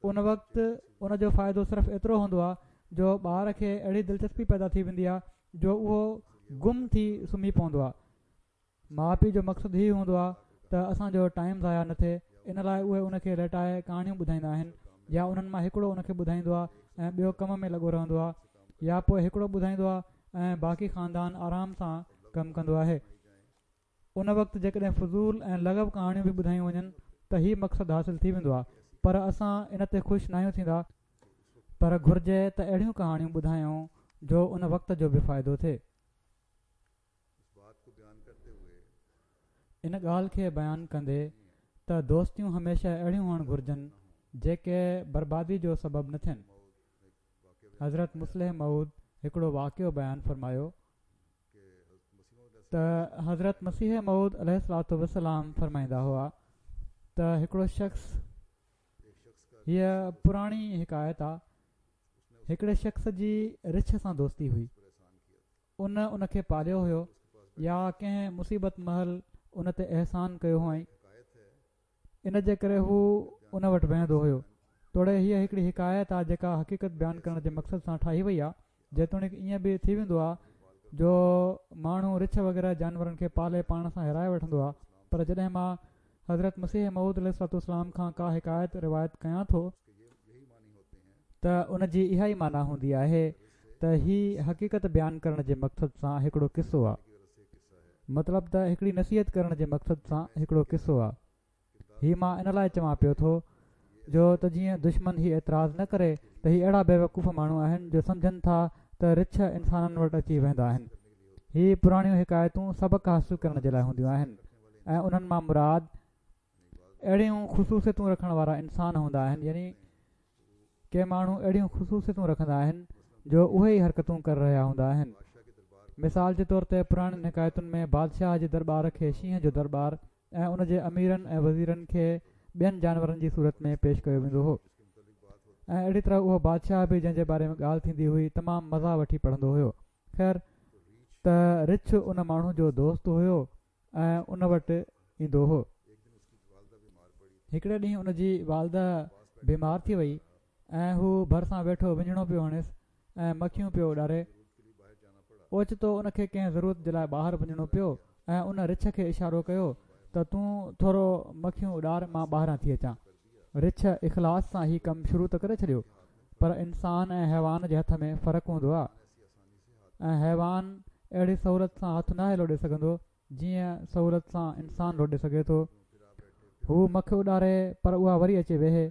ان وقت ان جو فائدو صرف ايترو هوندو آهي جو ٻار کي اهڙي دلچسپي پيدا ٿي ويندي آهي جو اهو گم ٿي سمهي پوندو آهي. ماءُ پيءُ جو مقصد هي هوندو آهي ته اسان جو ٽائيم ضايع نه ٿئي، ان لاءِ اهي ان کي ليٽائي ڪهاڻيون ٻڌائيندا آهن يا انهن مان هڪڙو ان کي ٻڌائيندو آهي ۽ ٻيو ڪم ۾ لڳو رهندو آهي، يا پوءِ هڪڙو ٻڌائيندو آهي ۽ باقي خاندان آرام سان ڪم ڪندو آهي. ان وقت جيڪڏهن فضول ۽ لغو ڪهاڻيون به ٻڌايون وڃن ته هي مقصد حاصل ٿي ويندو آهي، پر اسان ان تي خوش ناهيون ٿيندا. پر گهرجي ته اهڙيون ڪهاڻيون ٻڌايون جو ان وقت جو به فائدو ٿئي. ان ڳالهه کي بيان ڪندي ته دوستيون هميشه اهڙيون هئڻ گهرجن جيڪي بربادي جو سبب نه ٿين. حضرت مصلح موعود هڪڙو واقعو بيان فرمايو ته حضرت مسيح موعود عليه الصلوة والسلام فرمائيندا هئا ته هڪڙو شخص، هيءَ پراڻي حڪايت آهي، هڪڙي شخص جي رڇ سان دوستي هئي. ان ان کي پاليو هيو يا ڪنهن مصيبت مهل ان تي احسان ڪيو هئائين، ان جي ڪري هو ان وٽ ويهندو هيو. توڙي هيءَ هڪڙي حڪايت آهي جيڪا حقيقت بيان ڪرڻ جي مقصد سان ٺاهي وئي آهي. جيتوڻيڪ ائين به ٿي ويندو آهي جو ماڻهو رڇ وغيره جانورن کي پالي پاڻ سان هيرائي وٺندو آهي، پر جڏهن مان حضرت مسيح موعود عليه الصلوة والسلام کان ڪا حڪايت روايت ڪيان ٿو ته ان جي اها ئي معنيٰ هوندي آهي ته هي حقيقت بيان ڪرڻ جي مقصد سان هڪڙو قصو آهي، مطلب ته هڪڙي نصيحت ڪرڻ جي مقصد سان هڪڙو قصو آهي. هي مان ان لاءِ چوان پيو ٿو جو ته جيئن دشمن هي اعتراض نه ڪري ته هي اهڙا بيوقوف ماڻهو آهن جو سمجهن ٿا ته رڇ انسانن وٽ اچي ويندا آهن. هي پراڻيون حڪايتون سبق حاصل ڪرڻ جي لاءِ هونديون آهن ۽ انهن مان مراد اهڙيون خصوصيتون رکڻ وارا انسان هوندا آهن، يعني ڪي ماڻهو اهڙيون خصوصيتون رکندا آهن جو اهي ئي حرڪتون ڪري رهيا هوندا آهن. مثال جي طور تي پراڻين حڪايتن ۾ بادشاهه جي درٻار کي شينهن جو درٻار ۽ ان جي اميرن ۽ وزيرن کي ٻين جانورن جي صورت ۾ پيش ڪيو ويندو هو ۽ اهڙي طرح اهو بادشاهه به جنهن جي باري ۾ ڳالهه ٿيندي هئي تمام مزا وٺي پڙهندو هيو. خير ته رڇ ان ماڻهو جو دوست هيو ۽ ان وٽ ايندو هو. هڪڙي ڏينهن ان جي والده بيمار ٿي وئي ۽ هو ڀرسان ويٺو وڃڻو پيو هڻيس ۽ مکيون پيو اڏاري. اوچتو ان کي ڪنهن ضرورت جي لاءِ ٻاهر وڃڻو پيو ۽ ان رڇ کي اشارو ڪيو ته تون ٿورو مکيون اڏار، مان ٻاهران ٿي اچان. رڇ اخلاص سان هي ڪم شروع ته ڪري ڇڏيو، پر انسان ۽ حيوان جي هٿ ۾ فرق هوندو آهي ۽ حيوان اهڙي سهولت سان هٿ ناهي لوڏي سگهندو جيئن سهولت سان انسان لوڏي سگهي ٿو. هو مک اڏاري پر اها وري اچي ويهي،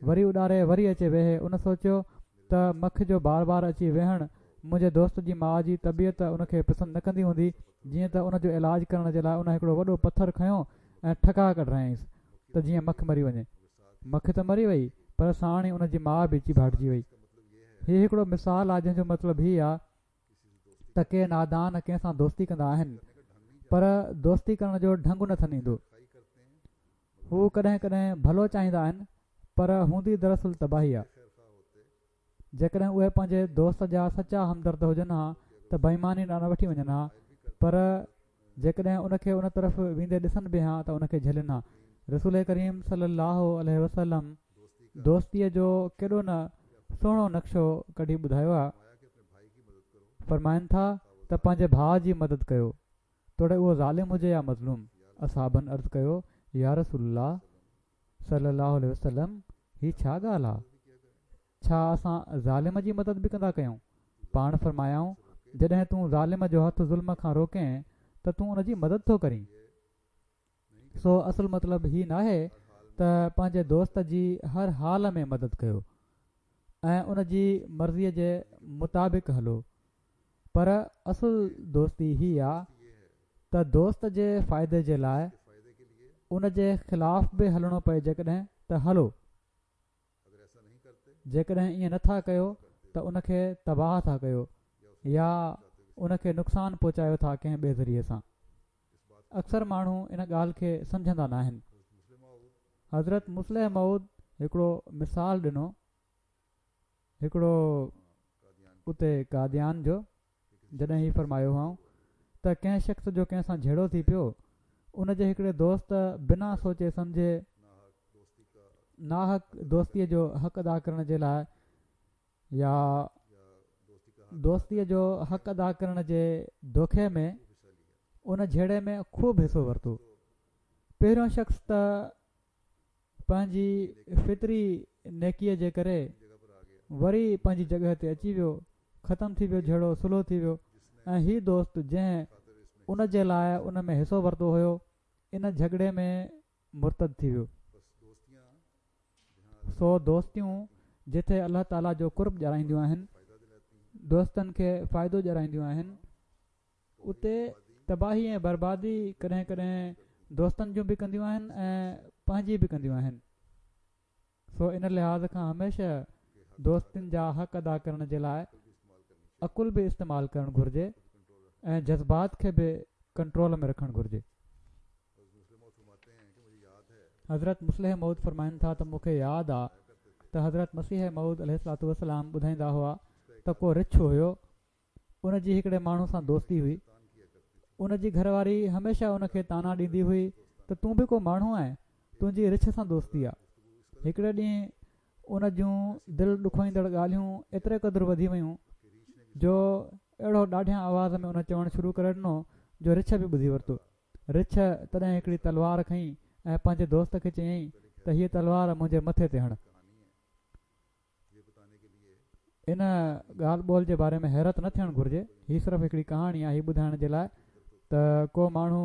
وري اڏاري وري اچي ويهي. ان سوچيو ته مک جو بار بار اچي ويهڻ منهنجي دوست جي ماء جي طبيعت ان کي پسند نه ڪندي هوندي، جيئن ته ان جو علاج ڪرڻ جي لاء ان هڪڙو وڏو پٿر کنيو ۽ ٺڪاء ڪڍرايائينس ته جيئن مک مري وڃي. مک ته مري وئي پر ساڻ ئي ان جي ماء به چيڀاٽجي وئي. هي هڪڙو مثال آ جنهن جو مطلب هي آ ته ڪي نادان ڪنهن سان دوستي ڪندا آهن پر دوستي ڪرڻ جو ڍنگ نه ٿن ايندو. هو ڪڏهن ڪڏهن ڀلو چاهيندا آهن پر هوندي دراصل تباهي آ. جيڪڏهن اهي پنهنجي دوست جا سچا همدرد هجن ها ته بيماني ڏانهن نه وٺي وڃن ها، پر جيڪڏهن ان کي ان طرف ويندي ڏسن به ها ته ان کي جهلين ها. رسول ڪريم صلي الله عليه وسلم دوستيء جو ڪيڏو نه سهڻو نقشو ڪڍي ٻڌايو آ. فرمائن ٿا ته پنهنجي ڀاء جي مدد ڪيو، توڙي اهو ظالم هجي يا مظلوم. اصحابن عرض ڪيو، يا رسول الله صلي الله عليه وسلم هي ڇا ڳالهه آ؟ ڇا اسان ظالم جي مدد به ڪندا ڪيون؟ پاڻ فرمايائون، جڏهن تون ظالم جو هٿ ظلم کان روڪين ته تون ان جي مدد ٿو ڪرين. سو اصل مطلب هي ناهي ته پنهنجي دوست جي هر حال ۾ مدد ڪيو ۽ ان جي مرضيء جي مطابق هلو، پر اصل دوستي هي آ ته دوست جي فائدي جي لاء ان جي خلاف به هلڻو پئي جيڪڏهن ته هلو. جيڪڏهن ائين نٿا ڪيو ته ان کي تباهه ٿا ڪيو يا ان کي نقصان پهچايو ٿا ڪنهن ٻئي ذريعي سان. اڪثر ماڻهو ان ڳالهه کي سمجهندا ناهن. حضرت مصلح موعود هڪڙو مثال ڏنو هڪڙو اتي قاديان جو، جڏهن هي فرمايو هئائون ته ڪنهن شخص جو ڪنهن سان جهيڙو ٿي پيو، ان جي هڪڙي دوست بنا سوچي سمجهي ناحق دوستيء جو حق ادا ڪرڻ جي لاء يا دوستيء جو حق ادا ڪرڻ جي دوکي ۾ ان جهيڙي ۾ خوب حصو ورتو. پهريون شخص ته پنهنجي فطري نيڪيء جي ڪري وري پنهنجي جڳهه تي اچي ويو، ختم ٿي ويو جهيڙو، صلح ٿي ويو ۽ هي دوست جنهن ان جي لاء ان ۾ حصو ورتو هيو ان جهڳڙي ۾ مرتد ٿي ويو. سو دوستيون جتي الله تعاليٰ جو قرب ڏيارائينديون آهن، دوستن کي فائدو ڏيارائينديون آهن، اتي تباهي ۽ بربادي ڪڏهن ڪڏهن دوستن جون به ڪنديون آهن ۽ پنهنجي به ڪنديون آهن. سو ان لحاظ کان هميشه دوستن جا حق ادا ڪرڻ جي لاء عقل به استعمال ڪرڻ گهرجي ۽ جذبات کي به ڪنٽرول ۾ رکڻ گهرجي. حضرت مصلح موعود فرمائن ٿا ته مون کي ياد آ ته حضرت مسيح موعود عليه الصلوة والسلام ٻڌائيندا هئا ته ڪو رڇ هيو، ان جي هڪڙي ماڻهو سان دوستي هئي. ان جي گهر واري هميشه ان کي طعنا ڏيندي هئي ته تون به ڪو ماڻهو آهين، تنهنجي رڇ سان دوستي آ. هڪڙي ڏينهن ان جون دل ڏکوئيندڙ ڳالهيون ايتري قدر وڌي ويون جو اهڙو ڏاڍيان آواز ۾ ان چوڻ شروع ڪري ڏنو جو رڇ به ٻڌي ورتو. رڇ تڏهن هڪڙي تلوار کنئي ۽ پنهنجي دوست کي چيائين ته هيء تلوار منهنجي مٿي تي هڻ. ان ڳالهه ٻولهه جي باري ۾ حيرت نه ٿيڻ گهرجي. هي صرف هڪڙي ڪهاڻي آهي هي ٻڌائڻ جي لاء ته ڪو ماڻهو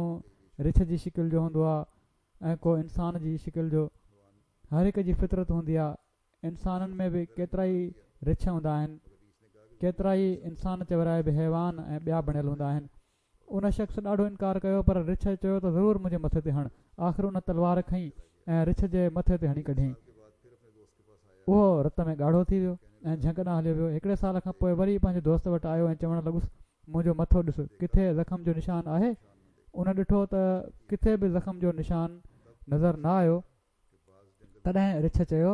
رڇ جي شڪل جو هوندو آهي ۽ ڪو انسان جي شڪل جو. هر هڪ جي فطرت هوندي آهي. انسانن ۾ به ڪيترائي رڇ هوندا آهن، ڪيترائي انسان چورائي به حيوان ۽ ٻيا بڻيل هوندا آهن. ان شخص ڏاڍو انڪار ڪيو پر رڇ چيو ته ضرور منهنجي مٿي تي هڻ. آخر ان تلوار کنئي ۽ رڇ جي مٿي تي هڻي ڪڍيائين. اهو رت ۾ ڳاڙهو ٿي ويو ۽ جهنگ ڏانهن هليو ويو. هڪڙي سال کان پوء وري پنهنجي دوست وٽ آيو ۽ چوڻ لڳس، منهنجو مٿو ڏس، ڪٿي زخم جو نشان آهي؟ ان ڏٺو ته ڪٿي به زخم جو نشان نظر نه آيو. تڏهن رڇ چيو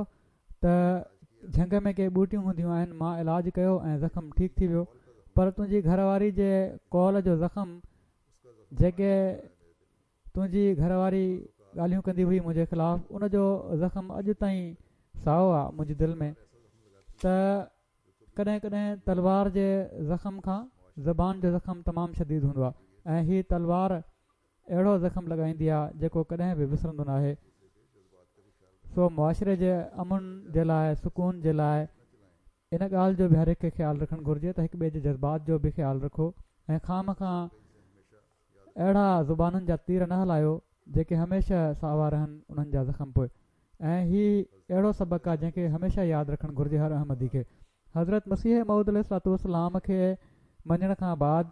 ته جهنگ ۾ ڪي ٻوٽيون هونديون آهن، مان علاج ڪيو ۽ زخم ٺيڪ ٿي ويو، پر تنهنجي گهر واري جي قول جو زخم، جيڪي تنهنجي گهر واري ڳالهيون ڪندي هئي منهنجي خلاف، ان جو زخم اڄ تائين سائو آ منهنجي دل ۾. ته ڪڏهن ڪڏهن تلوار جي زخم کان زبان جو زخم تمام شديد هوندو آ ۽ هي تلوار اهڙو زخم لڳائيندي آ جيڪو ڪڏهن به وسرندو ناهي. سو معاشري جي امن جي لاء، سڪون جي لاء ان ڳالهه جو به هر هڪ کي خيال رکڻ گهرجي ته هڪ ٻئي جي جذبات جو به خيال رکو ۽ خوامخواه اهڙا زبانن جا تير نه هلايو جيڪي هميشه ساوا رهن انهن جا زخم پوء. ۽ هي اهڙو سبق آهي جنهن کي هميشه ياد رکڻ گهرجي هر احمدي کي. حضرت مسيح موعود عليه الصلوة والسلام کي مڃڻ کان بعد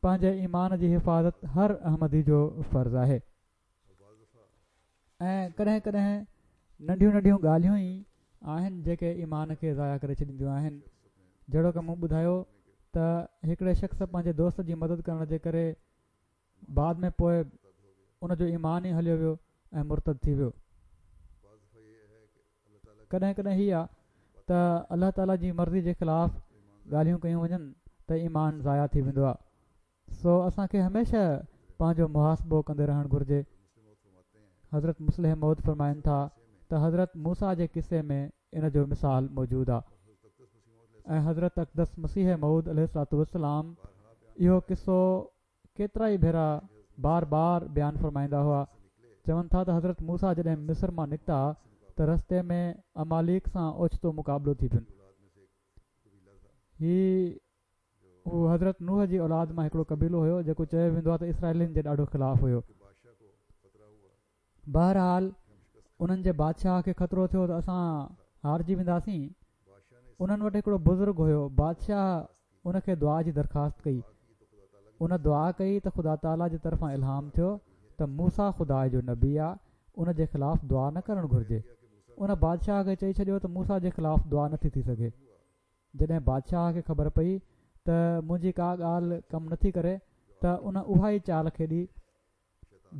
پنهنجي ايمان جي حفاظت هر احمدي جو فرض آهي. ۽ ڪڏهن ڪڏهن ننڍيون ننڍيون ڳالهيون ئي آهن جيڪي ايمان کي ضايع ڪري ڇڏينديون آهن. جهڙوڪ مون ٻڌايو ته هڪڙي شخص پنهنجي دوست جي مدد ڪرڻ جي ڪري بعد ۾ پوء ان جو ايمان ئي هليو ويو ۽ مرتد ٿي ويو. ڪڏهن ڪڏهن هي آ ته الله تعاليٰ جي مرضي جي خلاف ڳالهيون ڪيون وڃن ته ايمان ضايع ٿي ويندو آ. سو اسان کي هميشه پنهنجو محاسبو ڪندي رهڻ گهرجي. حضرت مصلح موعود فرمائن ٿا ته حضرت موسيٰ جي قصي ۾ ان جو مثال موجود آ ۽ حضرت اقدس مسيح موعود عليه الصلوة والسلام اهو قصو ڪيترائي ڀيرا بار بار بيان فرمائيندا هئا. چون ٿا ته حضرت موسيٰ جڏهن مصر مان نڪتا ته رستي ۾ عماليق سان اوچتو مقابلو ٿي پين. هي هو حضرت نوح جي اولاد مان هڪڙو قبيلو هيو جيڪو چيو ويندو آهي ته اسرائيلين جي ڏاڍو خلاف هيو. بهرحال انهن جي بادشاهه کي خطرو ٿيو ته اسان هارجي وينداسين. انهن وٽ هڪڙو بزرگ هيو. بادشاهه ان کي دعا جي درخواست ڪئي. ان دعا ڪئي ته خدا تعاليٰ جي طرفان الهام ٿيو ته موسيٰ خدا جو نبي آ، ان جي خلاف دعا نه ڪرڻ گهرجي. ان بادشاهه کي چئي ڇڏيو ته موسيٰ جي خلاف دعا نٿي ٿي سگهي. جڏهن بادشاهه کي خبر پئي ته منهنجي ڪا ڳالهه ڪم نٿي ڪري ته ان اها ئي چال کيڏي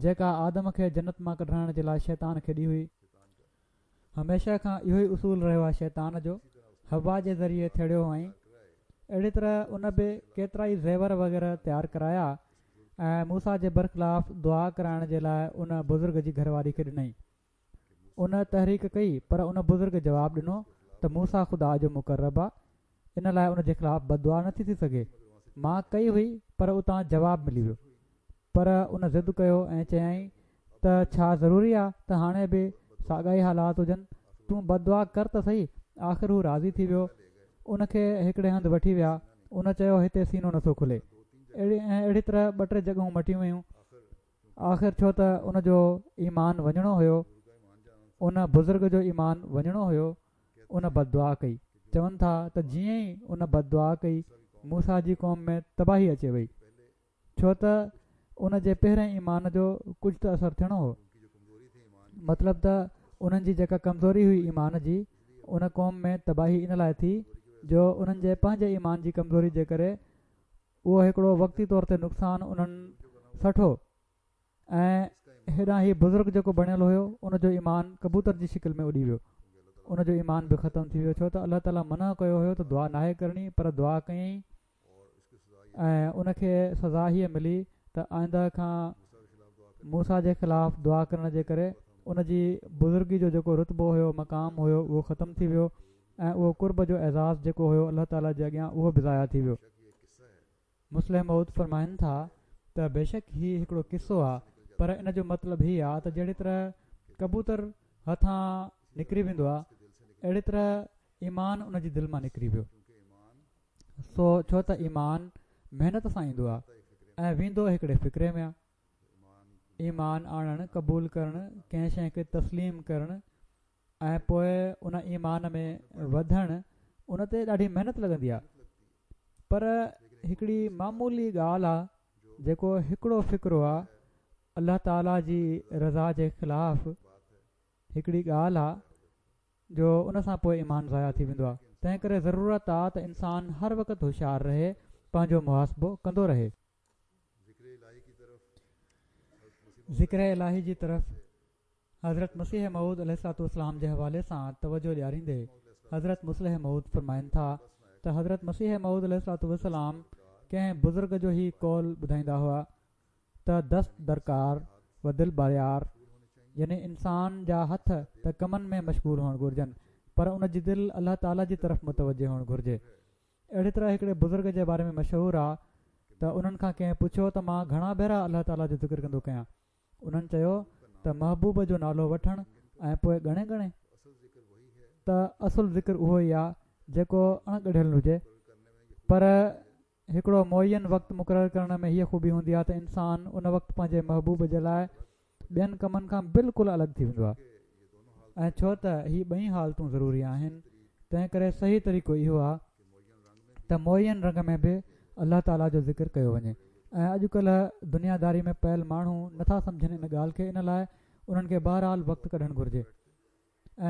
جيڪا آدم کي جنت مان ڪڍرائڻ جي لاءِ شيطان کيڏي هئي. هميشه کان اهو ئي اصول رهيو آهي شيطان جو، حوا جي ذريعي ٿيڙيو هئائين. اهڙي طرح ان به ڪيترائي زيور وغيره تيار ڪرايا ۽ موسيٰ جي برخلاف دعا ڪرائڻ جي لاءِ ان بزرگ جي گهر واري کي ڏنائين. ان تحريڪ ڪئي پر ان بزرگ جواب ڏنو ته موسيٰ خدا جو مقرب آ، ان لاءِ ان جي خلاف بددعا نٿي ٿي سگهي. مان ڪئي هئي پر اتان جواب ملي ويو. پر ان ضد ڪيو ۽ چيائين ته ڇا ضروري آ ته هاڻي به ساڳا ئي حالات هجن، تون بددعا ڪر ته سهي. آخر هو راضي ٿي ويو. ان کي هڪڙي هنڌ وٺي ويا. ان چيو هتي سينو نٿو کلي. ۽ اهڙي طرح ٻه ٽي جڳهون مٽيون ويون. آخر ڇو ته ان جو ايمان وڃڻو هيو، ان بزرگ جو ايمان وڃڻو هيو، ان بددعا ڪئي. چون ٿا ته جيئن ئي ان بددعا ڪئي موسيٰ جي قوم ۾ تباهي اچي وئي، ڇو ته ان جي پهرئين ايمان جو ڪجهه ته اثر ٿيڻو هو. مطلب ته انهن جي جيڪا ڪمزوري هئي ايمان جي، ان قوم ۾ تباهي ان لاءِ ٿي جو انهن جي پنهنجي ايمان جي ڪمزوري جي ڪري اهو هڪڙو وقتي طور تي نقصان انهن سٺو ۽ هيڏانهن هي بزرگ جيڪو بڻيل هيو ان جو ايمان ڪبوتر جي شڪل ۾ اڏي ويو. ان جو ايمان به ختم ٿي ويو، ڇو ته الله تعاليٰ منع ڪيو هيو ته دعا ناهي ڪرڻي، پر دعا ڪيائين ۽ ان کي سزا هيءَ ملي ته آئنده کان موسيٰ جي خلاف دعا ڪرڻ جي ڪري ان جي بزرگي جو جيڪو رتبو هيو، مقام هيو، اهو ختم ٿي ويو ۽ اهو قرب جو اعزاز جيڪو هيو الله تعاليٰ جي اڳيان اهو به ضايع ٿي ويو. مصلح موعود فرمائن ٿا ته بيشڪ هي هڪڙو قصو آ، پر ان جو مطلب هي آ ته جهڙي طرح ڪبوتر هٿان نڪري ويندو آ، اهڙي طرح ايمان ان جي دل مان نڪري ويو. سو ڇو ته ايمان محنت سان ايندو آ ۽ ويندو هڪڙي فڪري ۾ آ. ايمان آڻڻ، قبول ڪرڻ، ڪنهن شيءِ کي تسليم ڪرڻ ۽ پوءِ ان ايمان ۾ وڌڻ، ان تي ڏاڍي محنت لڳندي آ. پر هڪڙي معمولي ڳالهه آ جيڪو هڪڙو فڪرو آ الله تعاليٰ جي رضا جي خلاف هڪڙي ڳالهه آ جو ان سان پوءِ ايمان ضايع ٿي ويندو آ. تنهن ڪري ضرورت آ ته انسان هر وقت هوشيار رهي، پنهنجو محاسبو ڪندو رهي. ذڪر الاهي جي طرف حضرت مسيح موعود عليه الصلوة والسلام جي حوالي سان توجه ڏياريندي حضرت مصلح موعود فرمائن ٿا ته حضرت مسيح موعود عليه الصلوة والسلام ڪنهن بزرگ جو هي قول ٻڌائيندا هئا ته دست درڪار و دل باريار، يعني انسان جا هٿ ته ڪمن ۾ مشغول هئڻ گهرجن پر ان جي دل الله تعاليٰ جي طرف متوجه هئڻ گهرجي. اهڙي طرح هڪڙي بزرگ جي باري ۾ مشهور آ ته انهن کان ڪنهن پڇيو ته مان گهڻا ڀيرا الله تعاليٰ جو ذڪر ڪندو ڪيان؟ انهن چيو ته محبوب جو نالو وٺڻ ۽ پوءِ ڳڻي ڳڻي ته اصل ذڪر اهو ئي آ جيڪو اڻ ڳڙهيل هجي. پر هڪڙو معين وقت مقرر ڪرڻ ۾ هيءَ خوبي هوندي آهي ته انسان ان وقت پنهنجي محبوب جي لاءِ ٻين ڪمن کان بلڪل الڳ ٿي ويندو آهي. ۽ ڇو ته هي ٻئي حالتون ضروري آهن، تنهن ڪري صحيح طريقو اهو آهي ته معين رنگ ۾ به الله تعاليٰ جو ذڪر ڪيو وڃي. ۽ اڄڪلهه دنياداري ۾ پيل ماڻهو نٿا سمجهن ان ڳالهه کي، ان لاءِ انهن کي بهرحال وقت ڪڍڻ گهرجي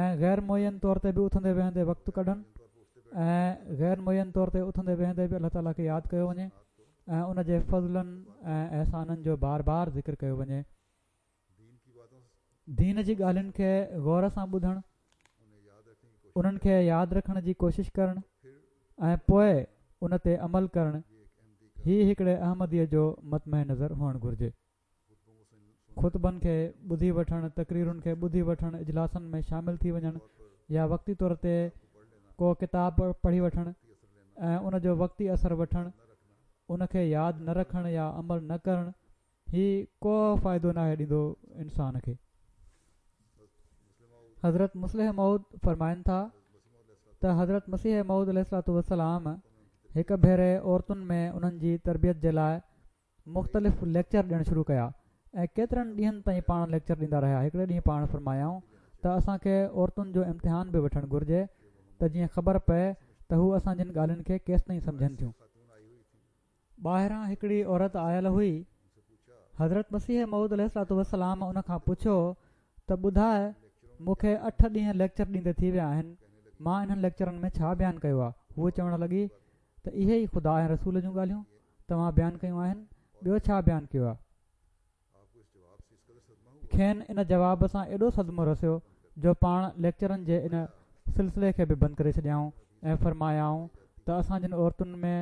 ۽ غير معين طور تي به اٿندي ويهندي وقت ڪڍن ۽ غير معين طور تي اٿندي ويهندي به الله تعاليٰ کي ياد ڪيو وڃي ۽ ان جي فضلن ۽ احسانن جو بار بار ذڪر ڪيو وڃي. دين جي ڳالهين کي غور سان ٻڌڻ، انهن کي ياد رکڻ جي ڪوشش ڪرڻ ۽ پوءِ ان تي عمل ڪرڻ، هي هڪڙي احمديءَ جو مطمح نظر هئڻ گهرجي. خطبن کي ٻڌي وٺڻ، تقريرن کي ٻڌي وٺڻ، اجلاسن ۾ شامل ٿي وڃڻ يا وقتي طور تي ڪو ڪتاب پڙهي وٺڻ ۽ ان جو وقتي اثر وٺڻ، ان کي ياد نه رکڻ يا عمل نه ڪرڻ، هي ڪو فائدو ناهي ڏيندو انسان کي. حضرت مصلح موعود فرمائن ٿا ته حضرت مسيح موعود عليه الصلوة والسلام هڪ ڀيري عورتن ۾ انهن جي تربيت جي لاءِ مختلف ليڪچر ڏيڻ شروع ڪيا ۽ ڪيترن ڏينهن تائين پاڻ ليڪچر ڏيندا رهيا. هڪڙي ڏينهن پاڻ فرمايائون ته اسان کي عورتن جو امتحان به وٺڻ گهرجي ته جيئن خبر پئي ته هو اسان جن ڳالهين کي ڪيستائين سمجهن ٿيون. ٻاهران هڪڙي عورت آيل هئي. حضرت مسيح موعود عليه الصلوة والسلام ان کان پڇيو ته ٻڌاءِ، مون کي اٺ ڏينهن ليڪچر ڏيندي ٿي ويا آهن، مان انهن ليڪچرن ۾ ڇا بيان ڪيو آهي؟ هوءَ چوڻ لڳي ته اهي ئي خدا ۽ رسول جون ڳالهيون توهان بيان ڪيون آهن، ٻيو ڇا بيان ڪيو آهي؟ کين ان جواب سان ايڏو صدمو رسيو جو پاڻ ليڪچرن جي ان سلسلي کي به بند ڪري ڇڏيائون ۽ فرمايائون ته اسان جن عورتن ۾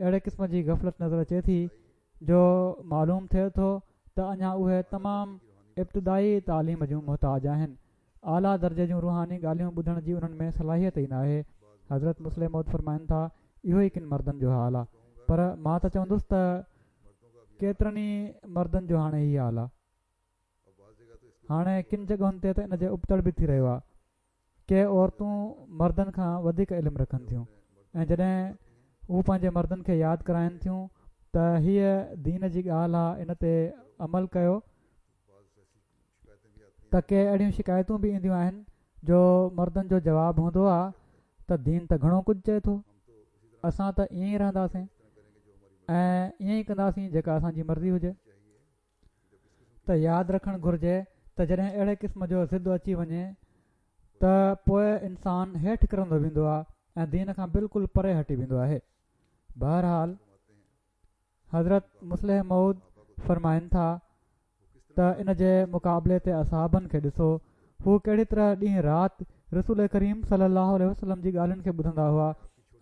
اهڙي قسم جي غفلت نظر اچي ٿي جو معلوم ٿئي ٿو ته اڃا اهي تمام ابتدائي تعليم جون محتاج آهن، اعليٰ درجي جون روحاني ڳالهيون ٻڌڻ جي انهن ۾ صلاحيت ئي ناهي. حضرت مصلح موعود فرمائن ٿا اهو ئي ڪن مردن جو حال آهي، پر مان ته چوندس ته ڪيترن ئي مردن جو هاڻي هي حال آهي. هاڻي ڪن جڳهن تي ته ان جي ابتڙ به ٿي رهيو آهي. ڪي عورتون مردن کان وڌيڪ علم رکن ٿيون ۽ جڏهن هو پنهنجي مردن کي ياد ڪرائن ٿيون ته هيءَ دين جي ڳالهه آهي، ان تي عمل ڪيو، ته ڪي اهڙيون شڪايتون به اينديون آهن جو مردن جو جواب هوندو آهي ته دين ته گهڻو ڪجهه چئي ٿو، اسان ته ائين ئي رهنداسين ۽ ائين ئي ڪنداسين جيڪا اسان جي مرضي هجي. ته ياد رکڻ گهرجي ته جڏهن اهڙي قسم جو ضد اچي وڃي ته پوءِ انسان هيٺ ڪرندو ويندو آهي ۽ دين کان بلڪل پري هٽي ويندو آهي. بهرحال حضرت مصلح موعود فرمائن ٿا ته ان جي مقابلي تي اصحابن کي ڏسو، هو ڪهڙي طرح ڏينهن رات رسول ڪريم صلي الله عليه وسلم جي ڳالهين کي ٻڌندا هئا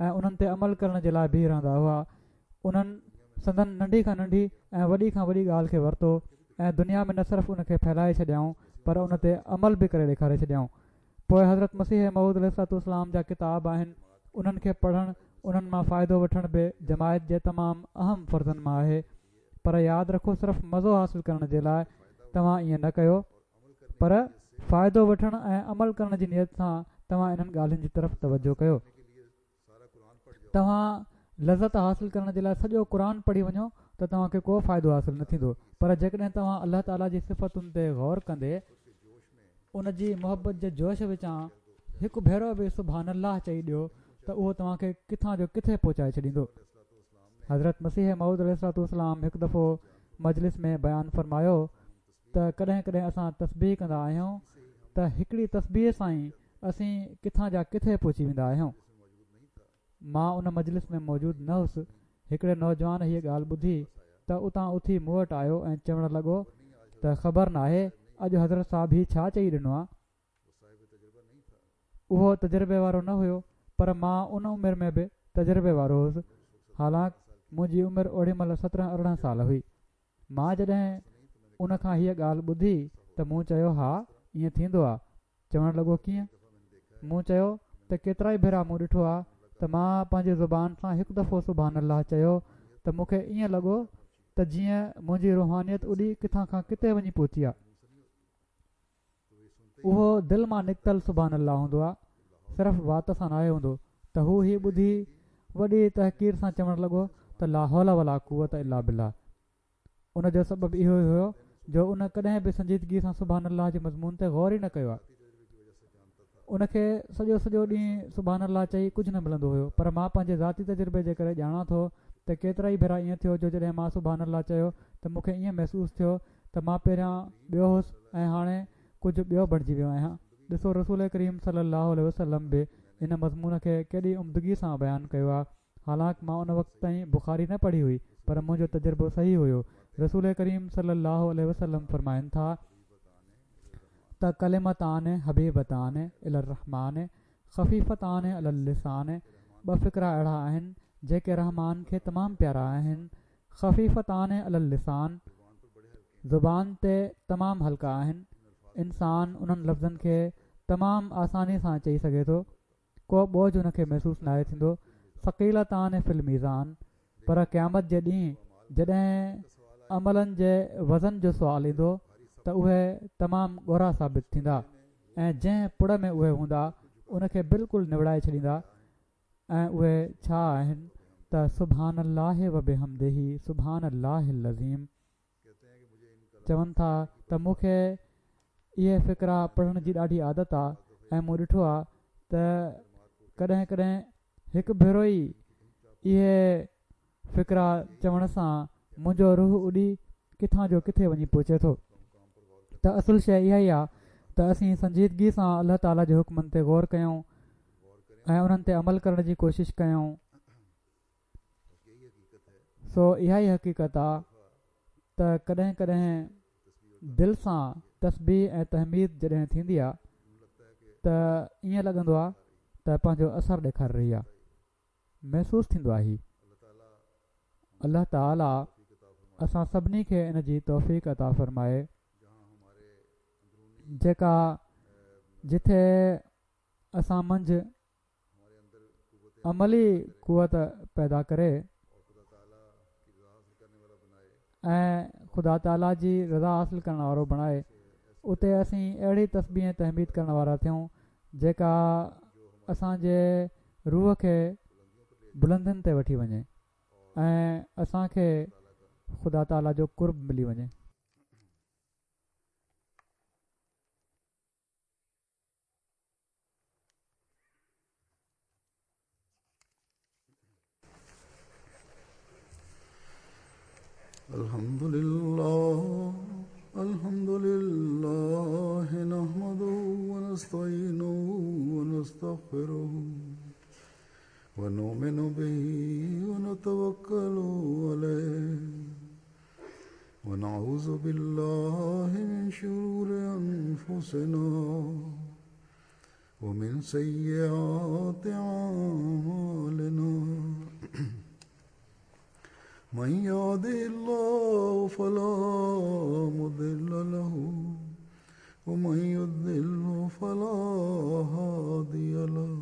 ۽ انهن تي عمل ڪرڻ جي لاءِ بيهه رهندا هئا. انهن سندن ننڍي کان ننڍي ۽ وڏي کان وڏي ڳالهه کي ورتو ۽ دنيا ۾ نه صرف ان کي ڦهلائي ڇڏيائون پر ان تي عمل به ڪري ڏيکاري ڇڏيائون. پوءِ حضرت مسيح موعود عليه الصلوة والسلام جا ڪتاب آهن، انهن کي پڙهڻ، انهن مان فائدو وٺڻ به جماعت جي تمام اهم فرضن مان آهي. پر ياد رکو، صرف مزو حاصل ڪرڻ جي لاءِ توهان ائين نه ڪيو، پر فائدو وٺڻ ۽ عمل ڪرڻ جي نيت سان توهان انهن ڳالهين جي طرف توجهه ڪيو. توهان لذت حاصل ڪرڻ جي لاءِ سڄو قرآن پڙهي وڃو ته توهان کي ڪو فائدو حاصل نه ٿيندو، پر جيڪڏهن توهان الله تعاليٰ جي صفتن تي غور ڪندي ان جي محبت جي جوش وچان هڪ ڀيرو به سبحان الله چئي ڏيو ته اهو توهان کي ڪٿان جو ڪٿي پهچائي ڇڏيندو. حضرت مسيح موعود عليه الصلوة والسلام هڪ دفعو مجلس ۾ بيان فرمايو ته ڪڏهن ڪڏهن اسان تسبيح ڪندا آهيون ته هڪڙي تسبيح سان ئي اسين ڪٿان جا ڪٿي پهچي ويندا آهيون. مان ان مجلس ۾ موجود نه هئس. هڪڙي نوجوان هيءَ ڳالهه ٻڌي ته اتان اٿي مون وٽ آيو ۽ چوڻ لڳو ته خبر ناهي اڄ حضرت صاحب هي ڇا چئي ڏنو آهي. اهو تجربي وارو نه هيو، پر مان ان عمر ۾ به تجربي وارو هئس، حالانڪه منهنجي عمر اوڏي مهل سترهن ارڙهن سال هئي. مان جڏهن ان کان هيءَ ڳالهه ٻڌي ته مون چيو ها ائين ٿيندو آهي. چوڻ لڳو ڪيئن؟ مون چيو ته ڪيترا ئي ڀيرا مون ڏٺو آهي ته مان پنهنجي زبان سان هڪ دفعو سبحان الله چيو ته مون کي ائين لڳو ته جيئن منهنجي روحانيت اڏي ڪٿان کان ڪٿي وڃي پهتي آهي. اهو دل مان نڪتل سبحان الله هوندو آهي، صرف وات سان ناهي هوندو. ته هو هي ٻڌي وڏي تحقير سان چوڻ لڳو ته لا حول ولا قوت الا بالله. ان جو سبب اهو ئي هيو جو ان ڪڏهن به سنجيدگي سان سبحان الله جي مضمون تي غور ئي نه ڪيو آهي. ان کي سڄو سڄو ڏينهن سبحان الله چئي ڪجهه نه ملندو هيو. پر مان پنهنجي ذاتي تجربي جي ڪري ڄاڻان ٿو ته ڪيترائي ڀيرا ائين ٿيو جو جڏهن مان سبحان الله چيو ته مون کي ائين محسوس ٿيو ته مان پهريان ٻيو هوس ۽ هاڻي ڪجهه ٻيو بڻجي ويو آهيان. ڏسو رسول ڪريم صلي الله عليه وسلم به ان مضمون کي ڪيڏي عمدگي سان بيان ڪيو آهي. حالانڪ مان ان وقت تائين بخاري نه پڙهي هئي پر منهنجو تجربو صحيح هيو. رسول ڪريم صلي الله عليه وسلم فرمائن ٿا ته ڪلمتان حبيبتان الي الرحمان خفيفتان علي اللسان، ٻه فقرا اهڙا آهن جيڪي رحمان کي تمام پيارا آهن. خفيفتان علي اللسان، زبان تي تمام هلڪا آهن. انسان انهن لفظن کي تمام آساني سان چئي سگهي ٿو، ڪو بوجه ان کي محسوس ناهي ٿيندو. ثقيلتان في الميزان، پر قيامت جي ڏينهن جڏهن عملن جي وزن جو سوال ايندو ته اهي تمام ڳورا ثابت ٿيندا ۽ جنهن پڙ ۾ اهي هوندا ان کي بلڪل نوڙائي ڇڏيندا. ۽ اهي ڇا آهن ته سبحان الله وبحمده سبحان الله العظيم. چون ٿا ته مون کي اهي فقرا پڙهڻ جي ڏاڍي عادت آهي ۽ مون ڏٺو آهي ته ڪڏهن ڪڏهن هڪ ڀيرو ئي اهي فقرا چوڻ سان منهنجو روح اڏي ڪٿان جو ڪٿي وڃي پهچي ٿو. ته اصل شيءِ اها ئي آهي ته اسين سنجيدگي سان الله تعاليٰ جي حڪمن تي غور ڪيون ۽ انهن تي عمل ڪرڻ جي ڪوشش ڪيون. سو اها ئي حقيقت آهي ته ڪڏهن ڪڏهن دل سان تسبيح ۽ تحميد جڏهن ٿيندي آهي ته ائين لڳندو آهي ته پنهنجو اثر ڏيکاري رهي آهي، محسوس ٿيندو آهي. الله تعاليٰ اسان سڀني کي ان جي توفيق عطا فرمائي جيڪا جٿي اسان منجهه عملي قوت پيدا ڪري ۽ خدا تعاليٰ جي رضا حاصل ڪرڻ وارو بڻائي، اتي اسين اهڙي تسبيح ۽ تحميد ڪرڻ وارا ٿيون جيڪا اسان جي روح کي بلندين تي وٺي وڃي ۽ اسان کي خدا تعاليٰ جو قرب ملي وڃي. الحمد لله الحمد لله نحمده ونستعينه ونستغفره ونؤمن به ونتوكل عليه ونعوذ بالله من شرور أنفسنا ومن سيئات أعمالنا من يهده الله فلا مضل له ومن يضلل فلا هادي له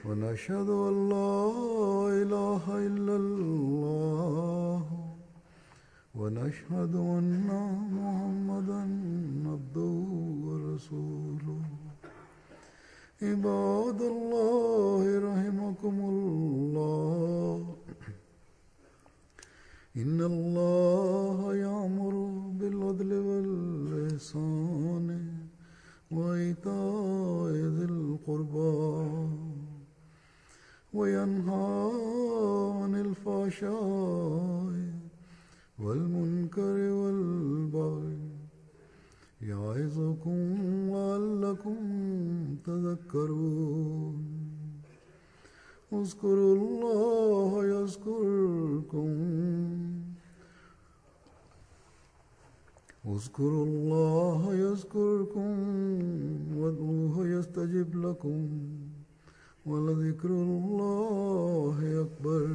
ونشهد أن لا إله إلا الله ونشهد أن محمدا عبده ورسوله. عباد الله رحمكم الله، إن الله يأمر بالعدل والإحسان وإيتاء ذي القربى وينهى عن الفحشاء والمنكر والبغي يعظكم لعلكم تذكرون. اذكروا الله يذكركم اذكروا الله يذكركم وادعوه يستجب لكم ولذكر الله أكبر.